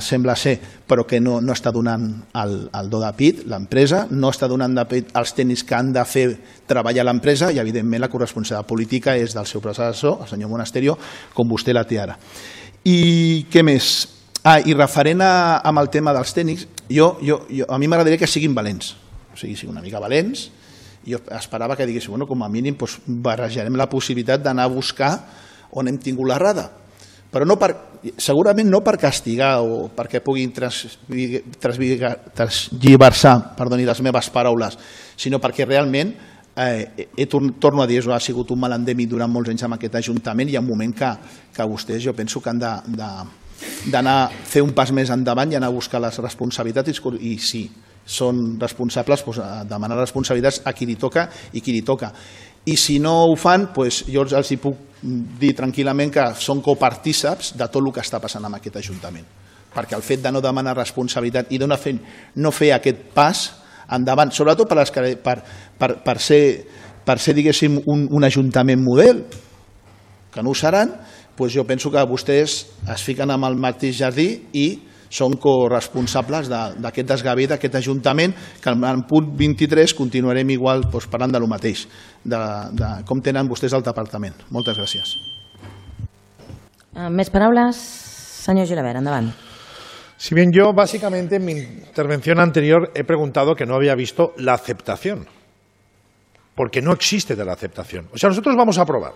sembla ser, però que no està donant el do de pit, l'empresa, no està donant de pit els tècnics que han de fer treballar l'empresa i, evidentment, la corresponsabilitat política és del seu predecessor, el senyor Monasterio, com vostè la té ara. I què més? I referent amb el tema dels tècnics, a mi m'agradaria que siguin valents, o sigui, siguin una mica valents. Jo esperava que digués, com a mínim barrejarem la possibilitat d'anar a buscar on hem tingut l'errada, però segurament no per castigar o perquè puguin transgiversar, perdoni les meves paraules, sinó perquè realment, torno a dir, ha sigut un mal endèmic durant molts anys amb aquest Ajuntament i hi ha un moment que vostès, jo penso que han d'anar a fer un pas més endavant i anar a buscar les responsabilitats i si són responsables, demanar responsabilitats a qui li toca i qui li toca. I si no ho fan, jo els puc dir tranquil·lament que són copartíceps de tot el que està passant en aquest Ajuntament. Perquè el fet de no demanar responsabilitat i no fer aquest pas endavant, sobretot per ser, diguéssim, un Ajuntament model, que no ho seran, jo penso que vostès es fiquen amb el mateix jardí i són corresponsables d'aquest desgavell d'aquest Ajuntament, que en punt 23 continuarem igual parlant de lo mateix, de com tenen vostès el departament. Moltes gràcies. Més paraules? Senyor Gilabert, endavant. Si bien yo básicamente en mi intervención anterior he preguntado que no había visto la aceptación, porque no existe de la aceptación. O sea, nosotros vamos a aprobar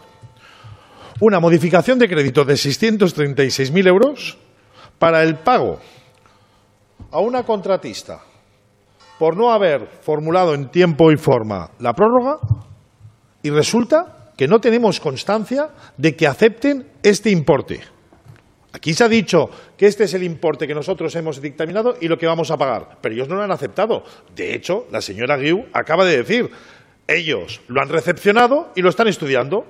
una modificación de crédito de 636.000 euros para el pago a una contratista por no haber formulado en tiempo y forma la prórroga y resulta que no tenemos constancia de que acepten este importe. Aquí se ha dicho que este es el importe que nosotros hemos dictaminado y lo que vamos a pagar, pero ellos no lo han aceptado. De hecho, la señora Guiu acaba de decir, ellos lo han recepcionado y lo están estudiando.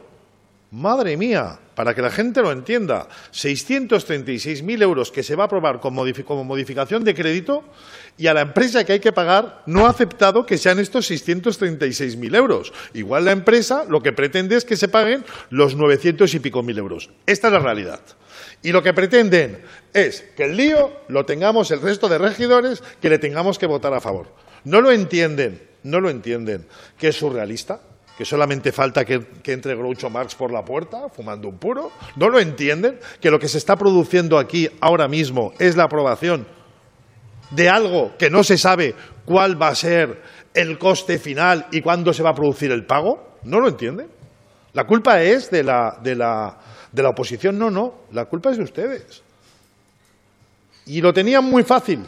Madre mía, para que la gente lo entienda, 636.000 euros que se va a aprobar como modificación de crédito y a la empresa que hay que pagar no ha aceptado que sean estos 636.000 euros. Igual la empresa lo que pretende es que se paguen los 900 y pico mil euros. Esta es la realidad. Y lo que pretenden es que el lío lo tengamos el resto de regidores, que le tengamos que votar a favor. No lo entienden, que es surrealista. Que solamente falta que entre Groucho Marx por la puerta fumando un puro. ¿No lo entienden? Que lo que se está produciendo aquí ahora mismo es la aprobación de algo que no se sabe cuál va a ser el coste final y cuándo se va a producir el pago. ¿No lo entienden? La culpa es de la oposición. No, la culpa es de ustedes. Y lo tenían muy fácil,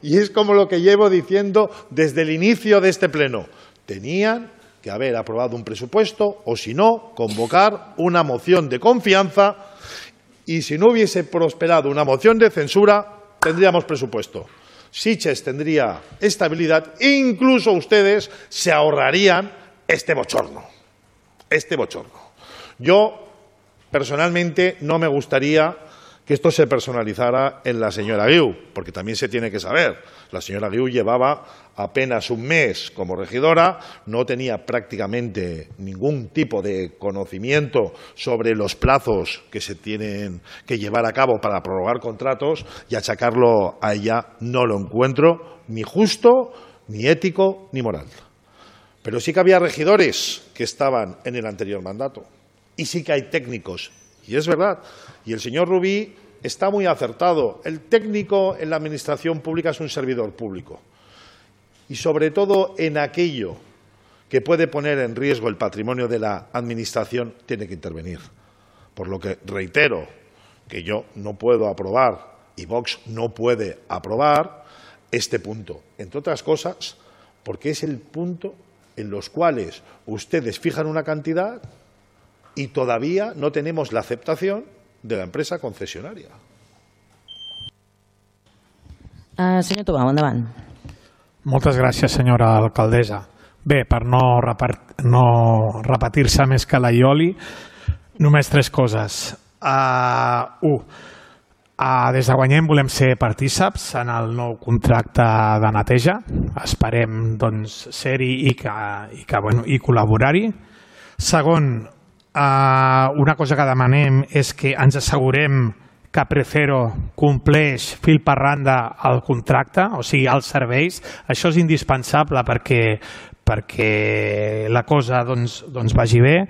y es como lo que llevo diciendo desde el inicio de este pleno. Tenían que haber aprobado un presupuesto o, si no, convocar una moción de confianza y, si no hubiese prosperado una moción de censura, tendríamos presupuesto. Sitges tendría estabilidad e incluso ustedes se ahorrarían este bochorno. Yo, personalmente, no me gustaría que esto se personalizara en la señora Guiu, porque también se tiene que saber. La señora Guiu llevaba apenas un mes como regidora, no tenía prácticamente ningún tipo de conocimiento sobre los plazos que se tienen que llevar a cabo para prorrogar contratos, y achacarlo a ella no lo encuentro ni justo, ni ético, ni moral. Pero sí que había regidores que estaban en el anterior mandato y sí que hay técnicos. Y es verdad, y el señor Rubí está muy acertado. El técnico en la administración pública es un servidor público. Y sobre todo en aquello que puede poner en riesgo el patrimonio de la administración, tiene que intervenir. Por lo que reitero que yo no puedo aprobar y Vox no puede aprobar este punto, entre otras cosas, porque es el punto en los cuales ustedes fijan una cantidad y todavía no tenemos la aceptación de la empresa concesionaria. Senyor Tomau, endavant. Moltes gràcies, senyora alcaldessa. Bé, per no repetir-se més que la Ioli, només 3 coses. 1. Des de Guanyem volem ser partíceps en el nou contracte de neteja. Esperem ser-hi i col·laborar-hi. 2. Una cosa que demanem és que ens assegurem que Precero compleix fil per randa el contracte, o sigui, els serveis. Això és indispensable perquè la cosa vagi bé.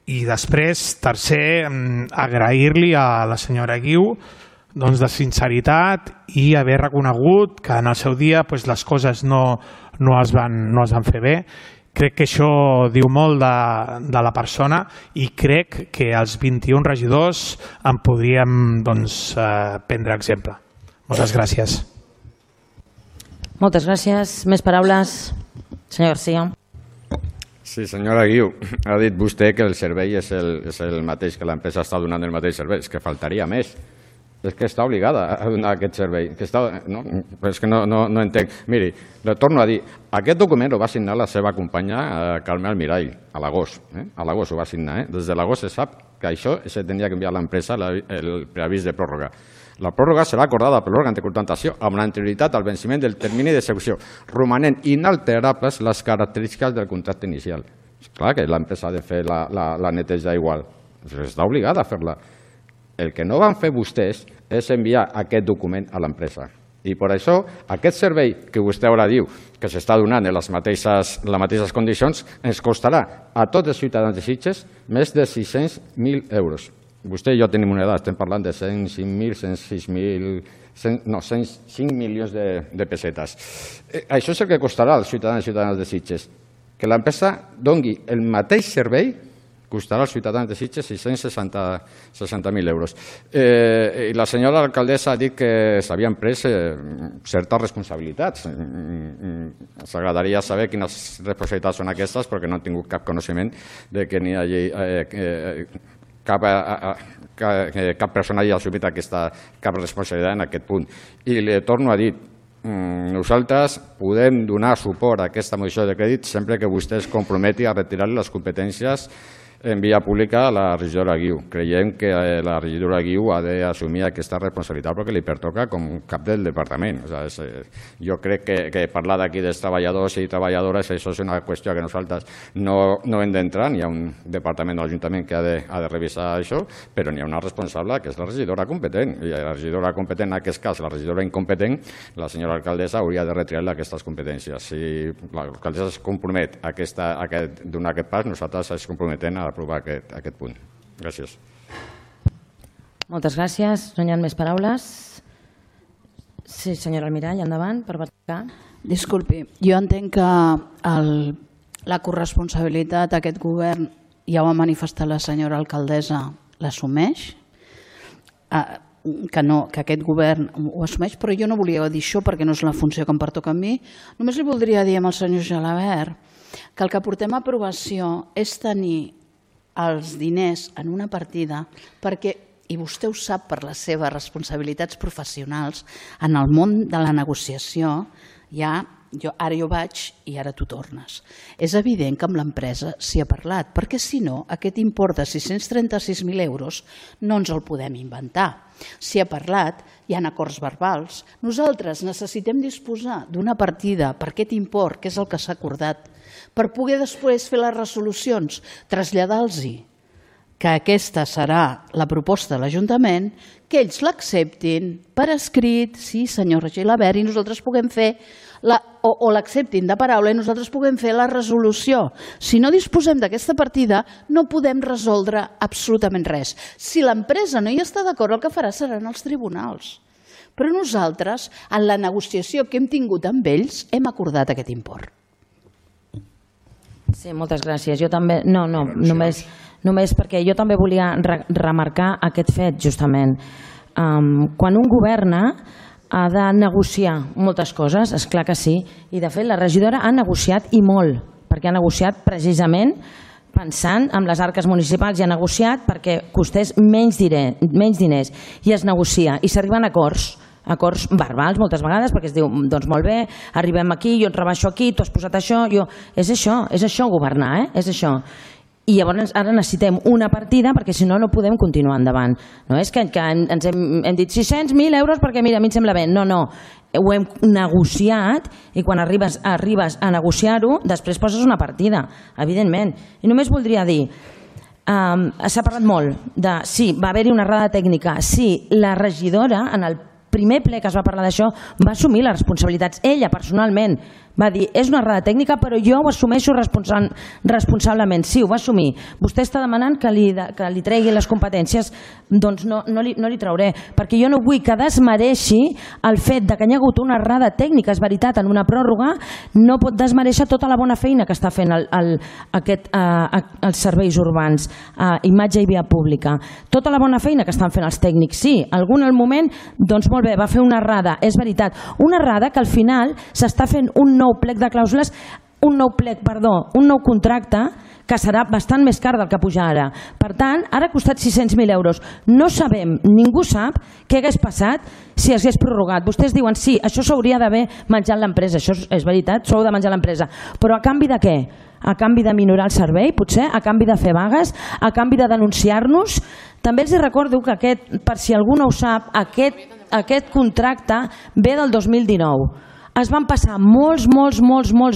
I després, 3, agrair-li a la senyora Guiu de sinceritat i haver reconegut que en el seu dia les coses no es van fer bé. Crec que això diu molt de la persona i crec que els 21 regidors en podríem prendre exemple. Moltes gràcies. Moltes gràcies. Més paraules? Senyor García. Sí, senyora Guiu, ha dit vostè que el servei és el mateix, que l'empresa està donant el mateix servei. És que faltaria més. És que està obligada a donar aquest servei. És que no entenc. Miri, le torno a dir, aquest document ho va signar la seva companya Carme Almirall a l'agost. A l'agost ho va signar. Des de l'agost se sap que això se tenia que enviar a l'empresa el preavís de pròrroga. La pròrroga serà acordada per l'òrgan de contractació amb l'anterioritat al venciment del termini d'execució, romanent inalterables les característiques del contracte inicial. És clar que l'empresa ha de fer la neteja igual. Està obligada a fer-la. El que no van fer vostès és enviar aquest document a l'empresa. I per això aquest servei que vostè ara diu que s'està donant en les mateixes condicions ens costarà a tots els ciutadans de Sitges més de 600.000 euros. Vostè i jo tenim una edat, estem parlant de 105 milions de pessetes. Això és el que costarà als ciutadans i ciutadanes de Sitges. Que l'empresa doni el mateix servei costarà als ciutadans de Sitges 660.000 euros. I la senyora alcaldessa ha dit que s'havien pres certes responsabilitats. Ens agradaria saber quines responsabilitats són aquestes, perquè no he tingut cap coneixement de que n'hi hagi cap persona hagi assumit cap responsabilitat en aquest punt. I li torno a dir, nosaltres podem donar suport a aquesta moció de crèdit sempre que vostè es comprometi a retirar les competències en via pública a la regidora Guiu. Creiem que la regidora Guiu ha d'assumir aquesta responsabilitat perquè li pertoca com cap del departament. Jo crec que parlar d'aquí dels treballadors i treballadores, això és una qüestió que nosaltres no hem d'entrar. Hi ha un departament de l'Ajuntament que ha de revisar això, però n'hi ha una responsable que és la regidora competent. I la regidora competent, en aquest cas, la regidora incompetent, la senyora alcaldessa hauria de retirar-li aquestes competències. Si l'alcaldessa es compromet a donar aquest pas, nosaltres ens comprometem a aprovar aquest punt. Gràcies. Moltes gràcies. No hi ha més paraules? Sí, senyora Almirall, endavant, per verificar. Disculpi, jo entenc que la corresponsabilitat d'aquest govern, ja ho ha manifestat la senyora alcaldessa, l'assumeix, que aquest govern ho assumeix, però jo no volia dir això perquè no és la funció que em pertoca a mi. Només li voldria dir al senyor Gelabert que el que portem a aprovació és tenir els diners en una partida perquè, i vostè ho sap per les seves responsabilitats professionals, en el món de la negociació ara jo vaig i ara tu tornes. És evident que amb l'empresa s'hi ha parlat, perquè si no, aquest import de 636.000 euros no ens el podem inventar. S'hi ha parlat, hi ha acords verbals. Nosaltres necessitem disposar d'una partida per aquest import, que és el que s'ha acordat, per poder després fer les resolucions, traslladar-los que aquesta serà la proposta de l'Ajuntament, que ells l'acceptin per escrit, sí, senyor Gelabert, i nosaltres puguem fer, o l'acceptin de paraula i nosaltres puguem fer la resolució. Si no disposem d'aquesta partida, no podem resoldre absolutament res. Si l'empresa no hi està d'acord, el que farà seran els tribunals. Però nosaltres, en la negociació que hem tingut amb ells, hem acordat aquest import. Sí, moltes gràcies. Jo també, només perquè jo també volia remarcar aquest fet, justament. Quan un governa ha de negociar moltes coses, és clar que sí, i de fet la regidora ha negociat i molt, perquè ha negociat precisament pensant en les arques municipals i ha negociat perquè costés menys diners i es negocia i s'arriben a acords verbals moltes vegades perquè es diu, doncs molt bé, arribem aquí, jo et rebaixo aquí, tu has posat això, és això governar, és això. I llavors ara necessitem una partida perquè si no, no podem continuar endavant. No és que ens hem dit 600.000 euros perquè mira, a mi em sembla bé. No, ho hem negociat i quan arribes a negociar-ho, després poses una partida, evidentment. I només voldria dir, s'ha parlat molt de, sí, va haver-hi una errada tècnica, sí, la regidora en el primer ple que es va parlar d'això va assumir les responsabilitats, ella personalment va dir, és una errada tècnica però jo ho assumeixo responsablement. Sí, ho va assumir. Vostè està demanant que li tregui les competències, doncs no li trauré, perquè jo no vull que desmereixi el fet que hi ha hagut una errada tècnica, és veritat, en una pròrroga, no pot desmereixer tota la bona feina que està fent els serveis urbans, imatge i via pública. Tota la bona feina que estan fent els tècnics, sí, algun al moment, doncs molt bé, va fer una errada, és veritat, una errada que al final s'està fent un nou contracte que serà bastant més car del que puja ara. Per tant, ara ha costat 600.000 euros. No sabem, ningú sap què hagués passat si hagués prorrogat. Vostès diuen, sí, això s'hauria d'haver menjat l'empresa, això és veritat, s'ho heu de menjar l'empresa. Però a canvi de què? A canvi de minorar el servei, potser? A canvi de fer vagues? A canvi de denunciar-nos? També els recordo que per si algú no ho sap, aquest contracte ve del 2019. Es van passar molts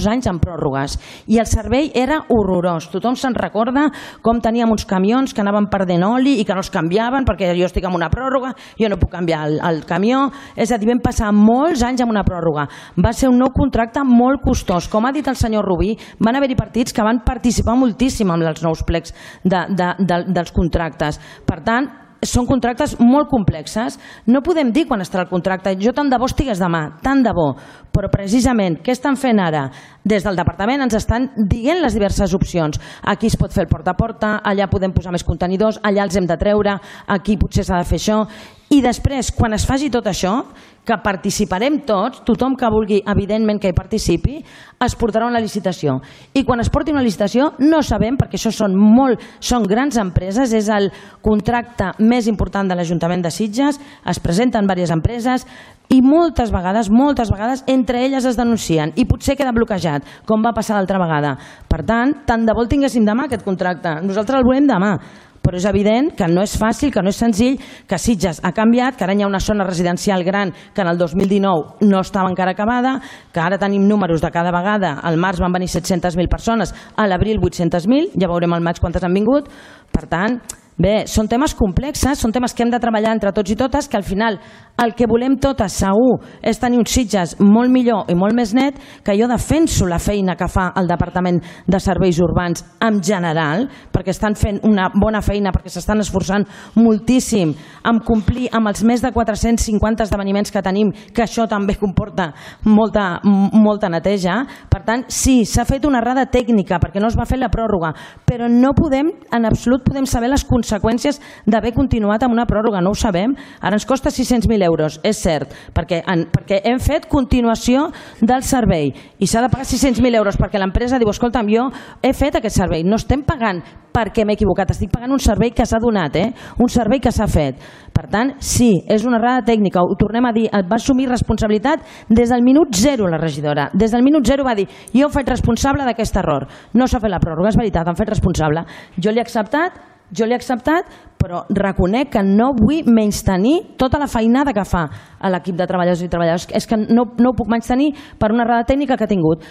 anys en pròrrogues i el servei era horrorós. Tothom se'n recorda com teníem uns camions que anaven perdent oli i que no els canviaven perquè jo estic en una pròrroga, jo no puc canviar el camió. És a dir, vam passar molts anys en una pròrroga. Va ser un nou contracte molt costós. Com ha dit el senyor Rubí, van haver-hi partits que van participar moltíssim en els nous plecs dels contractes. Per tant, són contractes molt complexes. No podem dir quan estarà el contracte. Jo tant de bo estigués demà, tant de bo. Però precisament, què estan fent ara? Des del departament ens estan dient les diverses opcions. Aquí es pot fer el porta a porta, allà podem posar més contenidors, allà els hem de treure, aquí potser s'ha de fer això. I després, quan es faci tot això, que participarem tots, tothom que vulgui, evidentment que hi participi, es portarà una licitació. I quan es porti una licitació, no sabem, perquè això són grans empreses, és el contracte més important de l'Ajuntament de Sitges, es presenten diverses empreses i moltes vegades, entre elles es denuncien i potser queda bloquejat, com va passar l'altra vegada. Per tant de bo el tinguéssim demà, aquest contracte. Nosaltres el volem demà. Però és evident que no és fàcil, que no és senzill, que Sitges ha canviat, que ara hi ha una zona residencial gran que en el 2019 no estava encara acabada, que ara tenim números de cada vegada, al març van venir 700.000 persones, a l'abril 800.000, ja veurem al maig quantes han vingut. Per tant, bé, són temes complexes, són temes que hem de treballar entre tots i totes, que al final el que volem totes segur és tenir uns Sitges molt millor i molt més net, que jo defenso la feina que fa el Departament de Serveis Urbans en general, perquè estan fent una bona feina, perquè s'estan esforçant moltíssim en complir amb els més de 450 esdeveniments que tenim, que això també comporta molta neteja. Per tant, sí, s'ha fet una errada tècnica perquè no es va fer la pròrroga, però no podem, en absolut podem saber les conseqüències d'haver continuat amb una pròrroga, no ho sabem. Ara ens costa 600.000 euros, és cert, perquè hem fet continuació del servei i s'ha de pagar 600.000 euros perquè l'empresa diu, escolta'm, jo he fet aquest servei, no estem pagant perquè m'he equivocat, estic pagant un servei que s'ha donat, un servei que s'ha fet. Per tant, sí, és una errada tècnica, ho tornem a dir, va assumir responsabilitat des del minut zero la regidora, des del minut zero va dir, jo ho faig responsable d'aquest error, no s'ha fet la pròrroga, és veritat, han fet responsable, jo l'he acceptat, però reconec que no vull menystenir tota la feinada que fa l'equip de treballadors i treballadores. És que no ho puc menystenir per una errada tècnica que ha tingut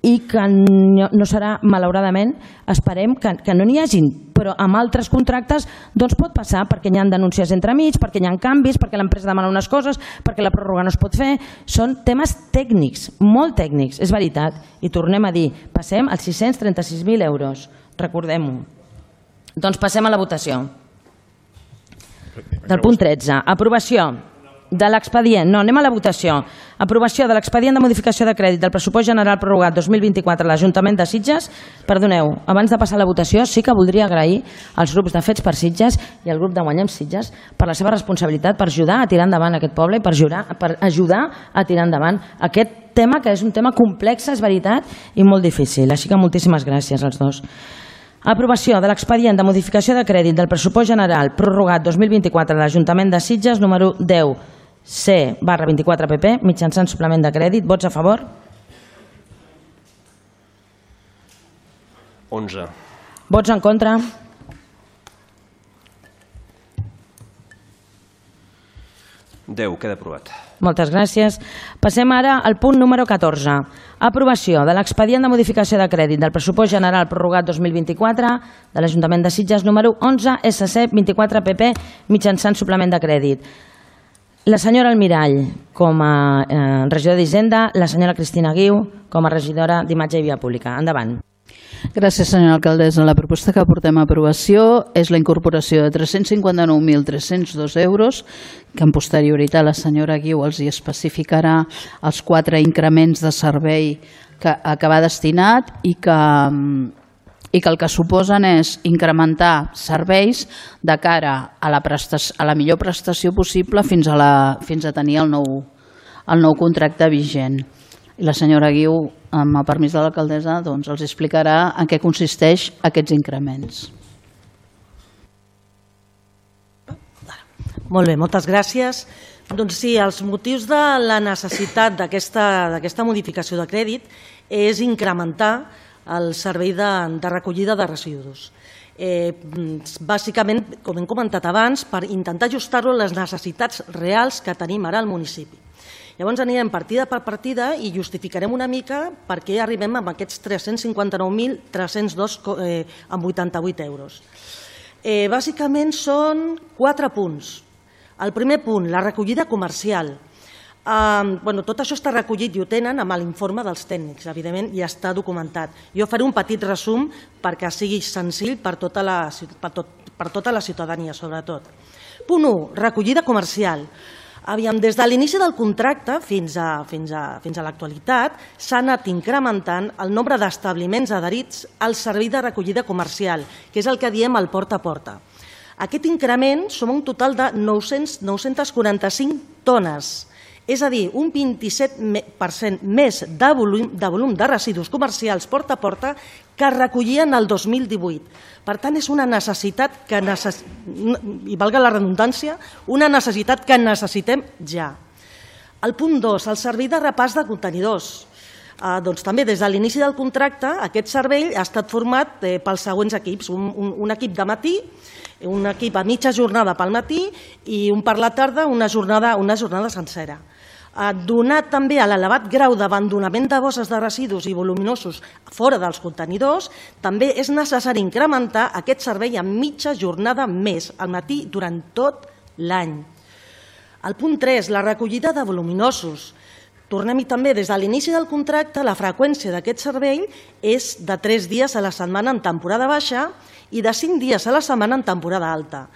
i que no serà, malauradament, esperem que no n'hi hagin, però amb altres contractes doncs pot passar perquè hi ha denúncies entremig, perquè hi ha canvis, perquè l'empresa demana unes coses, perquè la pròrroga no es pot fer. Són temes tècnics, molt tècnics, és veritat. I tornem a dir, passem als 636.000 euros, recordem-ho. Doncs passem a la votació. Del punt 13. Aprovació. de l'expedient, no, anem a la votació. Aprovació de l'expedient de modificació de crèdit del pressupost general prorrogat 2024 a l'Ajuntament de Sitges. Perdoneu, abans de passar a la votació sí que voldria agrair als grups de Fets per Sitges i al grup de Guanyem Sitges per la seva responsabilitat per ajudar a tirar endavant aquest poble i per ajudar a tirar endavant aquest tema, que és un tema complex, és veritat, i molt difícil. Així que moltíssimes gràcies als dos. Aprovació de l'expedient de modificació de crèdit del pressupost general prorrogat 2024 a l'Ajuntament de Sitges, número 10C/24PP, mitjançant suplement de crèdit. Vots a favor? 11. Vots en contra? 10. Queda aprovat. Moltes gràcies. Passem ara al punt número 14. Aprovació de l'expedient de modificació de crèdit del pressupost general prorrogat 2024 de l'Ajuntament de Sitges, número 11SC24PP, mitjançant suplement de crèdit. La senyora Almirall, com a regidora d'Hisenda, la senyora Cristina Guiu, com a regidora d'Imatge i Via Pública. Endavant. Gràcies, senyora alcaldessa. La proposta que portem a aprovació és la incorporació de 359.302 euros, que en posterioritat la senyora Guiu els hi especificarà els 4 increments de servei a què va destinat i que el que suposen és incrementar serveis de cara a la millor prestació possible fins a tenir el nou contracte vigent. I la senyora Guiu, amb el permís de l'alcaldessa, els explicarà en què consisteix aquests increments. Molt bé, moltes gràcies. Doncs sí, els motius de la necessitat d'aquesta modificació de crèdit és incrementar el servei de recollida de residus. Bàsicament, com hem comentat abans, per intentar ajustar-lo a les necessitats reals que tenim ara al municipi. Llavors anirem partida per partida i justificarem una mica per què arribem a aquests 359.302,88 euros. Bàsicament són 4 punts. El primer punt, la recollida comercial. Tot això està recollit i ho tenen amb l'informe dels tècnics, evidentment, i està documentat. Jo faré un petit resum perquè sigui senzill per tota la ciutadania, sobretot. Punt 1, recollida comercial. Des de l'inici del contracte fins a l'actualitat s'ha anat incrementant el nombre d'establiments adherits al servei de recollida comercial, que és el que diem el porta a porta. Aquest increment som un total de 945 tones, és a dir, un 27% més de volum de residus comercials porta a porta que es recollien el 2018. Per tant, és una necessitat que, i valga la redundància, una necessitat que necessitem ja. El punt 2, el servei de repàs de contenidors. Doncs també des de l'inici del contracte aquest servei ha estat format pels següents equips. Un equip de matí, un equip a mitja jornada pel matí i un per la tarda, una jornada sencera. Donat també a l'elevat grau d'abandonament de bosses de residus i voluminosos fora dels contenidors, també és necessari incrementar aquest servei amb mitja jornada més al matí durant tot l'any. El punt 3, la recollida de voluminosos. Tornem-hi també, des de l'inici del contracte, la freqüència d'aquest servei és de 3 dies a la setmana en temporada baixa i de 5 dies a la setmana en temporada alta.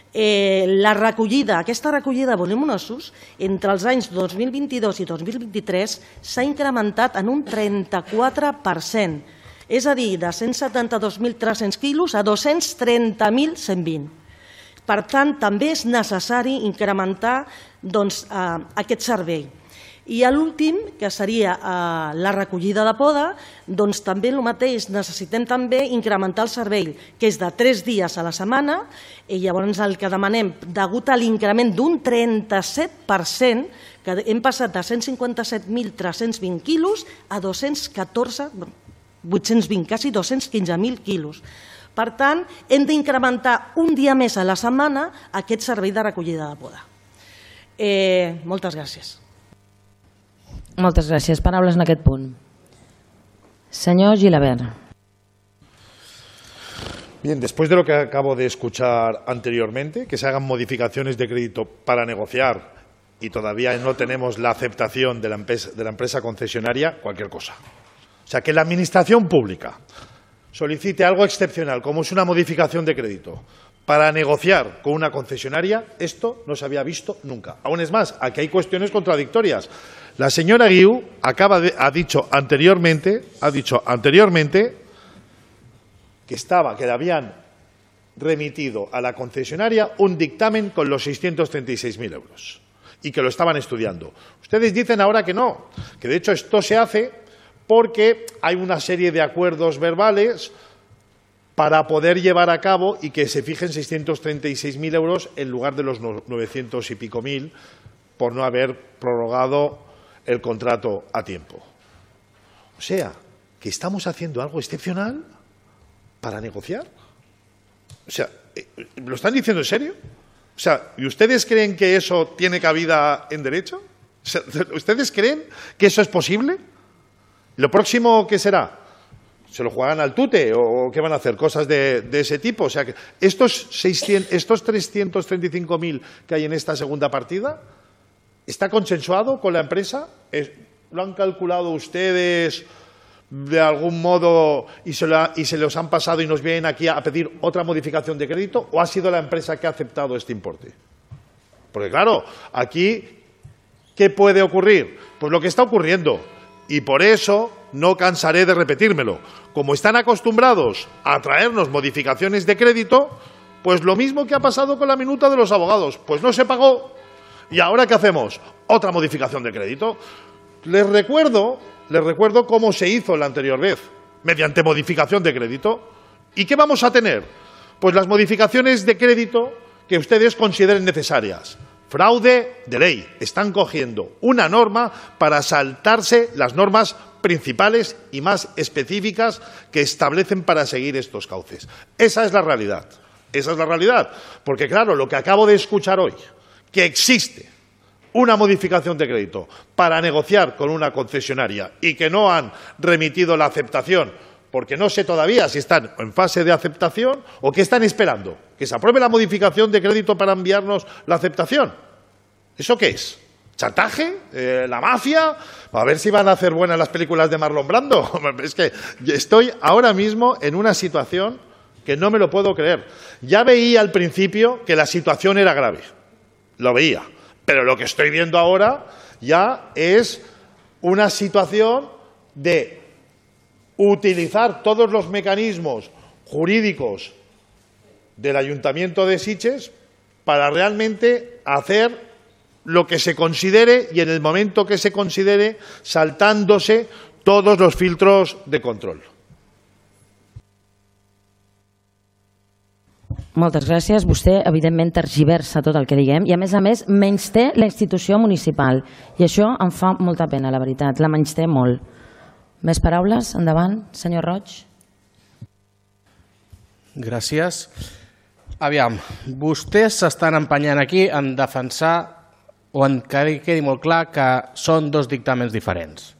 Aquesta recollida de voluminosos entre els anys 2022 i 2023 s'ha incrementat en un 34%, és a dir, de 172.300 quilos a 230.120. Per tant, també és necessari incrementar aquest servei. I l'últim, que seria la recollida de poda, doncs també el mateix, necessitem també incrementar el servei, que és de 3 dies a la setmana, i llavors el que demanem, degut a l'increment d'un 37%, que hem passat de 157.320 quilos a 820, quasi 215.000 quilos. Per tant, hem d'incrementar un dia més a la setmana aquest servei de recollida de poda. Moltes gràcies. Moltes gràcies. Paraules en aquest punt. Senyor Gilabert. Bien, después de lo que acabo de escuchar anteriormente, que se hagan modificaciones de crédito para negociar y todavía no tenemos la aceptación de la empresa concesionaria, cualquier cosa. O sea, que la administración pública solicite algo excepcional, como es una modificación de crédito, para negociar con una concesionaria, esto no se había visto nunca. Aún es más, aquí hay cuestiones contradictorias. La señora Guiu ha dicho anteriormente que le habían remitido a la concesionaria un dictamen con los 636.000 euros y que lo estaban estudiando. Ustedes dicen ahora que no, que de hecho esto se hace porque hay una serie de acuerdos verbales para poder llevar a cabo y que se fijen 636.000 euros en lugar de los 900 y pico mil por no haber prorrogado el contrato a tiempo. O sea, que estamos haciendo algo excepcional para negociar. O sea, ¿lo están diciendo en serio? O sea, ¿y ustedes creen que eso tiene cabida en derecho? O sea, ¿ustedes creen que eso es posible? ¿Lo próximo qué será? ¿Se lo juegan al tute o qué van a hacer? Cosas de ese tipo. O sea, que estos 335.000 que hay en esta segunda partida, ¿está consensuado con la empresa? ¿Lo han calculado ustedes de algún modo y se los han pasado y nos vienen aquí a pedir otra modificación de crédito? ¿O ha sido la empresa que ha aceptado este importe? Porque claro, aquí, ¿qué puede ocurrir? Pues lo que está ocurriendo. Y por eso no cansaré de repetírmelo. Como están acostumbrados a traernos modificaciones de crédito, pues lo mismo que ha pasado con la minuta de los abogados. Pues no se pagó. ¿Y ahora qué hacemos? Otra modificación de crédito. Les recuerdo cómo se hizo la anterior vez, mediante modificación de crédito. ¿Y qué vamos a tener? Pues las modificaciones de crédito que ustedes consideren necesarias. Fraude de ley. Están cogiendo una norma para saltarse las normas principales y más específicas que establecen para seguir estos cauces. Esa es la realidad. Esa es la realidad. Porque claro, lo que acabo de escuchar hoy, que existe una modificación de crédito para negociar con una concesionaria y que no han remitido la aceptación, porque no sé todavía si están en fase de aceptación o qué están esperando, que se apruebe la modificación de crédito para enviarnos la aceptación. ¿Eso qué es? ¿Chantaje? ¿La mafia? A ver si van a hacer buenas las películas de Marlon Brando. Es que estoy ahora mismo en una situación que no me lo puedo creer. Ya veía al principio que la situación era grave. Lo veía. Pero lo que estoy viendo ahora ya es una situación de utilizar todos los mecanismos jurídicos del Ayuntamiento de Sitges para realmente hacer lo que se considere y en el momento que se considere, saltándose todos los filtros de control. Moltes gràcies. Vostè, evidentment, tergiversa tot el que diguem i, a més, menysté la institució municipal. I això em fa molta pena, la veritat. La menysté molt. Més paraules? Endavant, senyor Roig. Gràcies. Aviam, vostès s'estan empenyant aquí en defensar o en que quedi molt clar que són dos dictàmens diferents.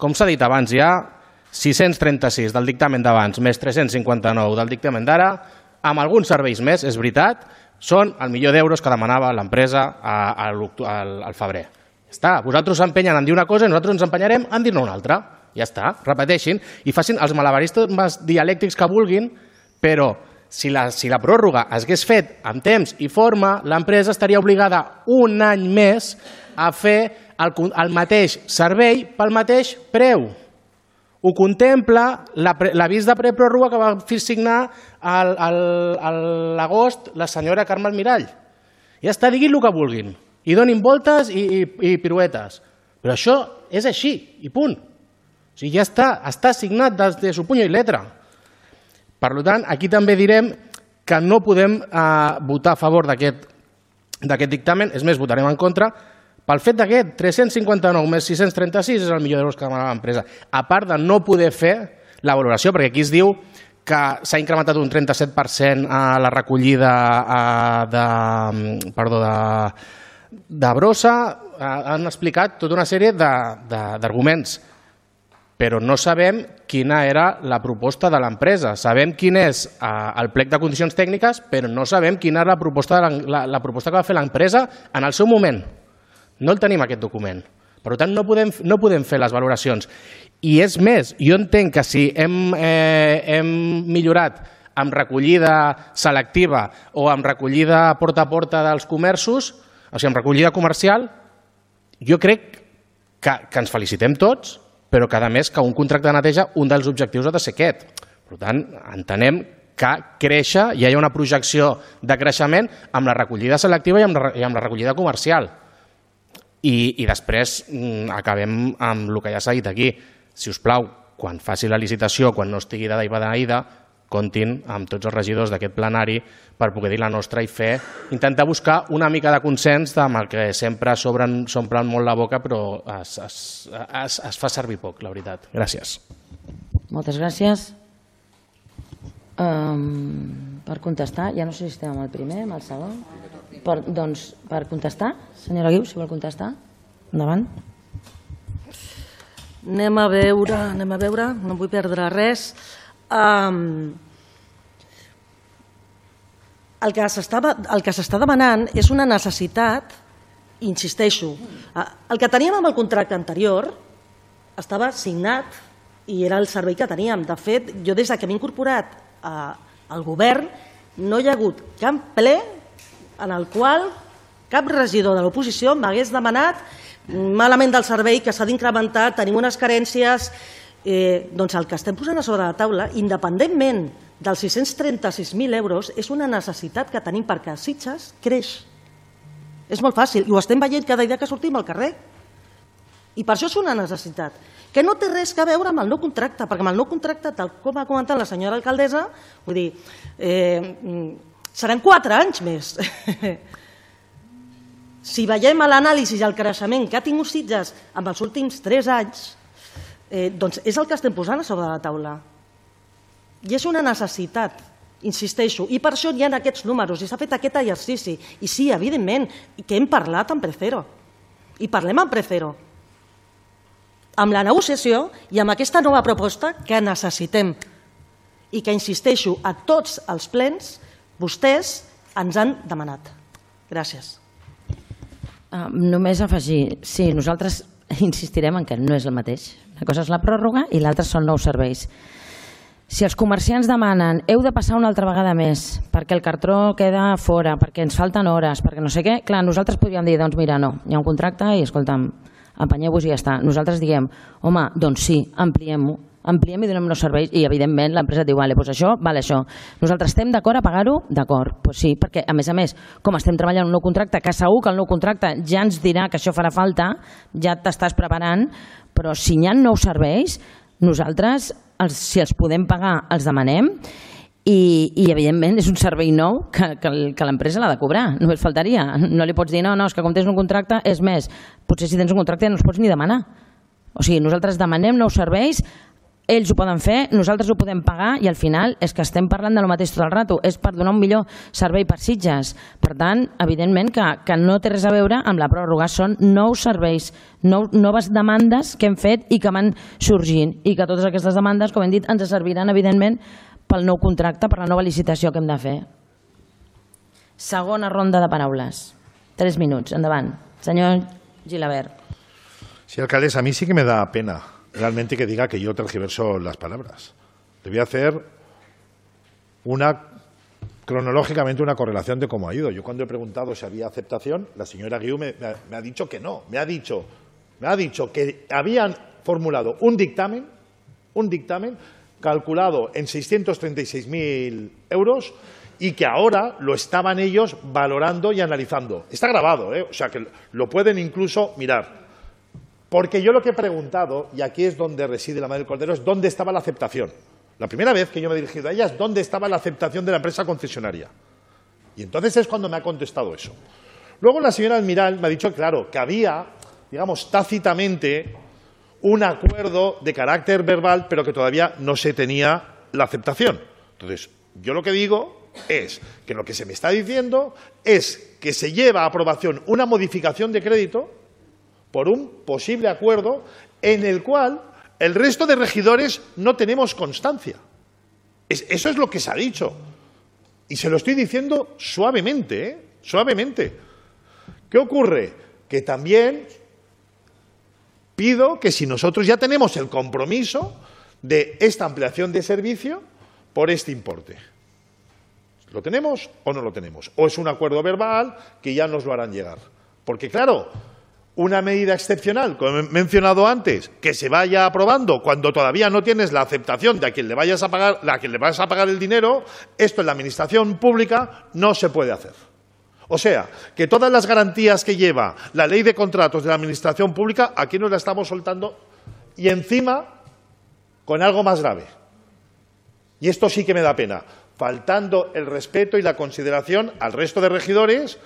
Com s'ha dit abans, hi ha 636 del dictamen d'abans més 359 del dictamen d'ara, amb alguns serveis més, és veritat, són el milió d'euros que demanava l'empresa al febrer. Ja està, vosaltres s'empenyen en dir una cosa i nosaltres ens empenyarem en dir-ne una altra. Ja està, repeteixin i facin els malabaristes dialèctics que vulguin, però si la pròrroga es hagués fet amb temps i forma, l'empresa estaria obligada un any més a fer el mateix servei pel mateix preu. Ho contempla l'avís de prepròrroga que va signar a l'agost la senyora Carme Almirall. Ja està, diguin el que vulguin i donin voltes i piruetes, però això és així i punt. O sigui, ja està signat des de su puño y letra. Per tant, aquí també direm que no podem votar a favor d'aquest dictamen, és més, votarem en contra, pel fet que 359 més 636 és el milió d'euros que demanava l'empresa. A part de no poder fer la valoració, perquè aquí es diu que s'ha incrementat un 37% a la recollida de brossa, han explicat tota una sèrie d'arguments, però no sabem quina era la proposta de l'empresa. Sabem quin és el plec de condicions tècniques, però no sabem quina era la proposta que va fer l'empresa en el seu moment. No el tenim, aquest document. Per tant, no podem fer les valoracions. I és més, jo entenc que si hem millorat amb recollida selectiva o amb recollida porta a porta dels comerços, o sigui, amb recollida comercial, jo crec que ens felicitem tots, però que a més que un contracte de neteja, un dels objectius ha de ser aquest. Per tant, entenem que créixer, hi ha una projecció de creixement amb la recollida selectiva i amb la recollida comercial. I després acabem amb el que ja s'ha dit aquí. Si us plau, quan faci la licitació, quan no estigui dada i beneïda, comptin amb tots els regidors d'aquest plenari per poder dir la nostra i intentar buscar una mica de consens amb el que sempre s'omplen molt la boca però es fa servir poc, la veritat. Gràcies. Moltes gràcies. Per contestar, ja no sé si estem amb el primer, amb el segon. Doncs per contestar, senyora Guiu, si vol contestar, endavant. Anem a veure, no vull perdre res. El que s'està demanant és una necessitat, insisteixo, el que teníem amb el contracte anterior estava signat i era el servei que teníem. De fet, jo des que m'he incorporat al govern no hi ha hagut cap ple en el qual cap regidor de l'oposició m'hagués demanat malament del servei, que s'ha d'incrementar, tenim unes carències. Doncs el que estem posant a sobre la taula, independentment dels 636.000 euros, és una necessitat que tenim perquè Sitges creix. És molt fàcil, i ho estem veient cada dia que sortim al carrer. I per això és una necessitat, que no té res a veure amb el nou contracte, perquè amb el nou contracte, tal com ha comentat la senyora alcaldessa, vull dir, seran 4 anys més. Si veiem l'anàlisi i el creixement que ha tingut Sitges en els últims 3 anys, doncs és el que estem posant a sobre la taula. I és una necessitat, insisteixo, i per això hi ha aquests números, i s'ha fet aquest exercici. I sí, evidentment, que hem parlat amb Precero, i parlem amb Precero, amb la negociació i amb aquesta nova proposta que necessitem. I que, insisteixo, a tots els plens vostès ens han demanat. Gràcies. Només afegir, sí, nosaltres insistirem en que no és el mateix. Una cosa és la pròrroga i l'altra són nous serveis. Si els comerciants demanen heu de passar una altra vegada més perquè el cartró queda fora, perquè ens falten hores, perquè no sé què, clar, nosaltres podríem dir, doncs mira, no, hi ha un contracte i escolta'm, empenyeu-vos i ja està. Nosaltres diguem, home, doncs sí, ampliem-ho, ampliem i donem nous serveis i evidentment l'empresa diu, vale, doncs això, vale això. Nosaltres estem d'acord a pagar-ho? D'acord, doncs sí, perquè a més, com estem treballant un nou contracte, que segur que el nou contracte ja ens dirà que això farà falta, ja t'estàs preparant, però si hi ha nous serveis, nosaltres, si els podem pagar, els demanem i evidentment és un servei nou que l'empresa l'ha de cobrar, només faltaria. No li pots dir, no, és que com tens un contracte és més. Potser si tens un contracte no els pots ni demanar. O sigui, nosaltres demanem nous serveis, ells ho poden fer, nosaltres ho podem pagar i al final és que estem parlant de lo mateix tot el rato, és per donar un millor servei per Sitges. Per tant, evidentment que no té res a veure amb la pròrroga, són nous serveis, noves demandes que hem fet i que van sorgint i que totes aquestes demandes, com hem dit, ens serviran evidentment pel nou contracte, per la nova licitació que hem de fer. Segona ronda de paraules. 3 minuts, endavant. Senyor Gilabert. Sí, alcaldesa, a mí sí que me da pena realmente que diga que yo tergiverso las palabras. Le voy a hacer cronológicamente una correlación de cómo ha ido. Yo cuando he preguntado si había aceptación, la señora Guiu me ha dicho que no. Me ha dicho que habían formulado un dictamen calculado en 636.000 euros y que ahora lo estaban ellos valorando y analizando. Está grabado, o sea que lo pueden incluso mirar. Porque yo lo que he preguntado, y aquí es donde reside la madre del cordero, es dónde estaba la aceptación. La primera vez que yo me he dirigido a ella es dónde estaba la aceptación de la empresa concesionaria. Y entonces es cuando me ha contestado eso. Luego la señora Almiral me ha dicho, claro, que había, digamos, tácitamente un acuerdo de carácter verbal, pero que todavía no se tenía la aceptación. Entonces, yo lo que digo es que lo que se me está diciendo es que se lleva a aprobación una modificación de crédito por un posible acuerdo en el cual el resto de regidores no tenemos constancia. Eso es lo que se ha dicho. Y se lo estoy diciendo suavemente, suavemente. ¿Qué ocurre? Que también pido que si nosotros ya tenemos el compromiso de esta ampliación de servicio por este importe. ¿Lo tenemos o no lo tenemos? ¿O es un acuerdo verbal que ya nos lo harán llegar? Porque, claro, una medida excepcional, como he mencionado antes, que se vaya aprobando cuando todavía no tienes la aceptación de a quien le vayas a pagar el dinero, esto en la administración pública no se puede hacer. O sea, que todas las garantías que lleva la ley de contratos de la administración pública, aquí nos la estamos soltando y encima con algo más grave. Y esto sí que me da pena, faltando el respeto y la consideración al resto de regidores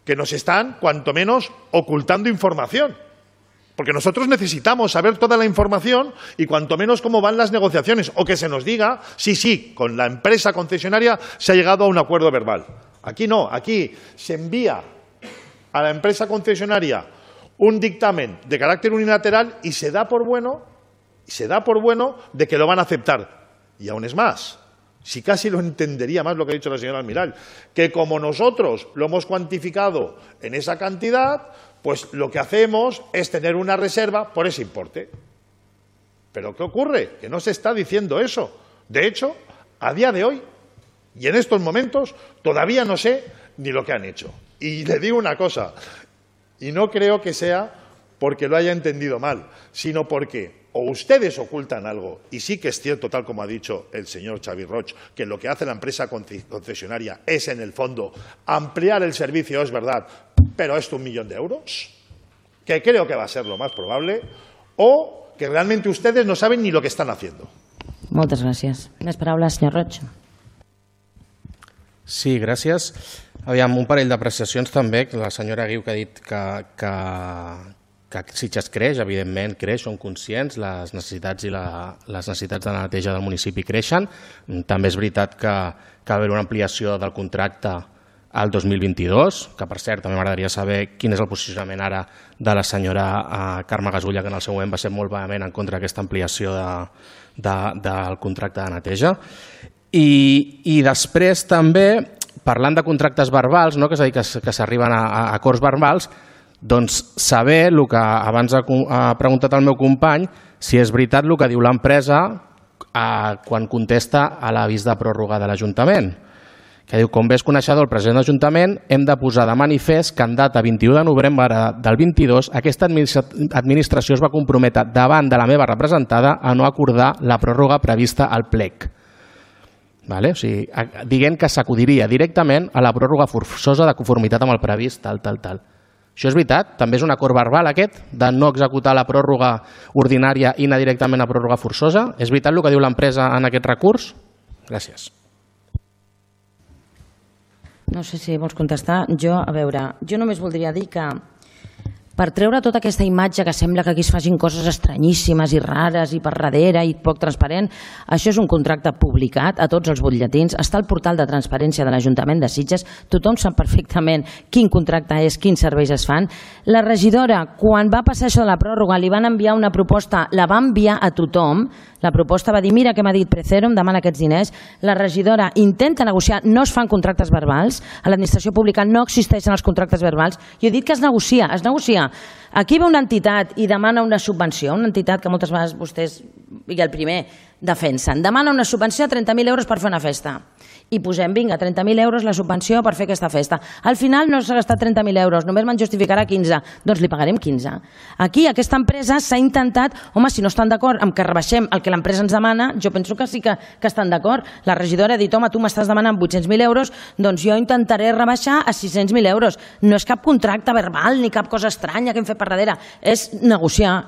que nos están, cuanto menos, ocultando información. Porque nosotros necesitamos saber toda la información y cuanto menos cómo van las negociaciones, o que se nos diga, sí, con la empresa concesionaria se ha llegado a un acuerdo verbal. Aquí no, aquí se envía a la empresa concesionaria un dictamen de carácter unilateral y se da por bueno de que lo van a aceptar. Y aún es más, si casi lo entendería más lo que ha dicho la señora Almirall, que como nosotros lo hemos cuantificado en esa cantidad, pues lo que hacemos es tener una reserva por ese importe. ¿Pero qué ocurre? Que no se está diciendo eso. De hecho, a día de hoy y en estos momentos todavía no sé ni lo que han hecho. Y le digo una cosa, y no creo que sea porque lo haya entendido mal, sino porque o ustedes ocultan algo, y sí que es cierto, tal como ha dicho el señor Xavi Roig, que lo que hace la empresa concesionaria es, en el fondo, ampliar el servicio, es verdad, pero esto 1 millón de euros, que creo que va a ser lo más probable, o que realmente ustedes no saben ni lo que están haciendo. Moltes gràcies. Més paraules, senyor Roig. Sí, gràcies. Aviam, un parell d'apreciacions també, la senyora Guiu que ha dit que Sitges creix, evidentment creix, són conscients, les necessitats i les necessitats de la neteja del municipi creixen. També és veritat que va haver una ampliació del contracte al 2022, que per cert també m'agradaria saber quin és el posicionament ara de la senyora Carme Gasulla, que en el seu moment va ser molt vehement en contra d'aquesta ampliació del contracte de neteja. I després també, parlant de contractes verbals, és a dir, que s'arriben a acords verbals, doncs saber el que abans ha preguntat el meu company, si és veritat el que diu l'empresa quan contesta a l'avís de pròrroga de l'Ajuntament, que diu: com bé és coneixedor el president de l'Ajuntament, hem de posar de manifest que en data 21 de novembre del 22 aquesta administració es va comprometre davant de la meva representada a no acordar la pròrroga prevista al plec. O sigui, dient que s'acudiria directament a la pròrroga forçosa de conformitat amb el previst, tal. Això és veritat? També és un acord verbal aquest, de no executar la pròrroga ordinària i anar directament a pròrroga forçosa? És veritat el que diu l'empresa en aquest recurs? Gràcies. No sé si vols contestar. Jo només voldria dir que per treure tota aquesta imatge que sembla que aquí es facin coses estranyíssimes i rares i per darrere i poc transparent, això és un contracte publicat a tots els butlletins, està al portal de transparència de l'Ajuntament de Sitges, tothom sap perfectament quin contracte és, quins serveis es fan. La regidora, quan va passar això de la pròrroga, li van enviar una proposta, la va enviar a tothom, la proposta va dir: mira què m'ha dit Precero, em demana aquests diners. La regidora intenta negociar, no es fan contractes verbals, a l'administració pública no existeixen els contractes verbals. Jo he dit que es negocia. Aquí ve una entitat i demana una subvenció, una entitat que moltes vegades vostès, i el primer, defensen. Demana una subvenció de 30.000 euros per fer una festa. I posem, vinga, 30.000 euros la subvenció per fer aquesta festa. Al final no s'ha gastat 30.000 euros, només me'n justificarà 15. Doncs li pagarem 15. Aquí, aquesta empresa s'ha intentat, home, si no estan d'acord amb que rebaixem el que l'empresa ens demana, jo penso que sí que estan d'acord. La regidora ha dit: home, tu m'estàs demanant 800.000 euros, doncs jo intentaré rebaixar a 600.000 euros. No és cap contracte verbal ni cap cosa estranya que hem fet per darrere. És negociar.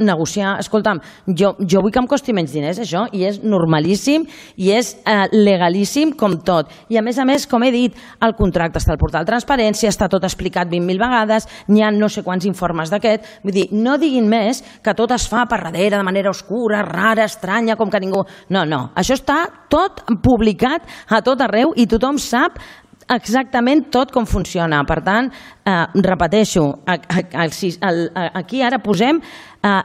Escolta'm, jo vull que em costi menys diners, això, i és normalíssim i és legalíssim com tot. I a més, com he dit, el contracte està al portal de transparència, està tot explicat 20.000 vegades, n'hi ha no sé quants informes d'aquest. Vull dir, no diguin més que tot es fa per darrere de manera oscura, rara, estranya, com que ningú... No, això està tot publicat a tot arreu i tothom sap exactament tot com funciona. Per tant, repeteixo, aquí ara posem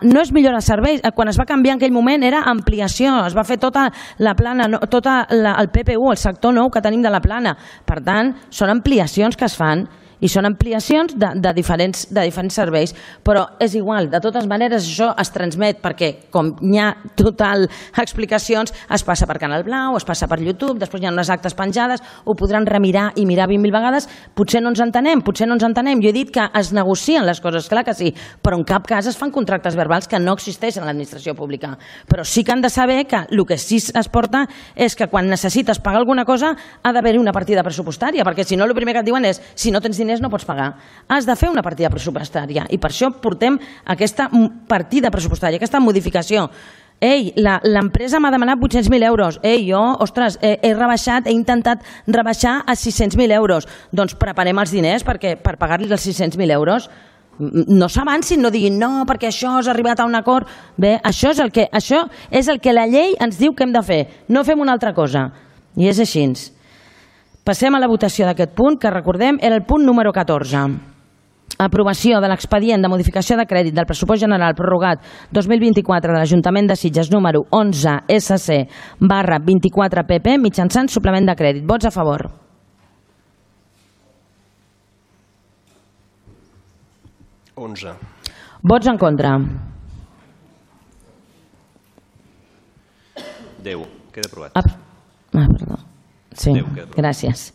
no és millora de serveis. Quan es va canviar en aquell moment era ampliació, es va fer tota la plana, tot el PPU, el sector nou que tenim de la plana. Per tant, són ampliacions que es fan i són ampliacions de diferents serveis, però és igual, de totes maneres això es transmet perquè com hi ha total explicacions, es passa per Canal Blau, es passa per YouTube, després hi ha unes actes penjades, ho podran remirar i mirar 20.000 vegades, potser no ens entenem, jo he dit que es negocien les coses, clar que sí, però en cap cas es fan contractes verbals que no existeixen a l'administració pública, però sí que han de saber que el que sí es porta és que quan necessites pagar alguna cosa ha d'haver-hi una partida pressupostària, perquè si no el primer que et diuen és si no tens diners no pots pagar. Has de fer una partida pressupostària i per això portem aquesta partida pressupostària, aquesta modificació. Ei, l'empresa m'ha demanat 800.000 euros. Ei, jo, ostres, he intentat rebaixar a 600.000 euros. Doncs preparem els diners per pagar-li els 600.000 euros. No s'avancin, no diguin no, perquè això has arribat a un acord. Bé, això és el que la llei ens diu que hem de fer. No fem una altra cosa. I és així. Passem a la votació d'aquest punt, que recordem era el punt número 14. Aprovació de l'expedient de modificació de crèdit del pressupost general prorrogat 2024 de l'Ajuntament de Sitges número 11 SC/24 PP mitjançant suplement de crèdit. Vots a favor. Vots en contra. 10. Queda aprovat. Perdó. Sí, gràcies.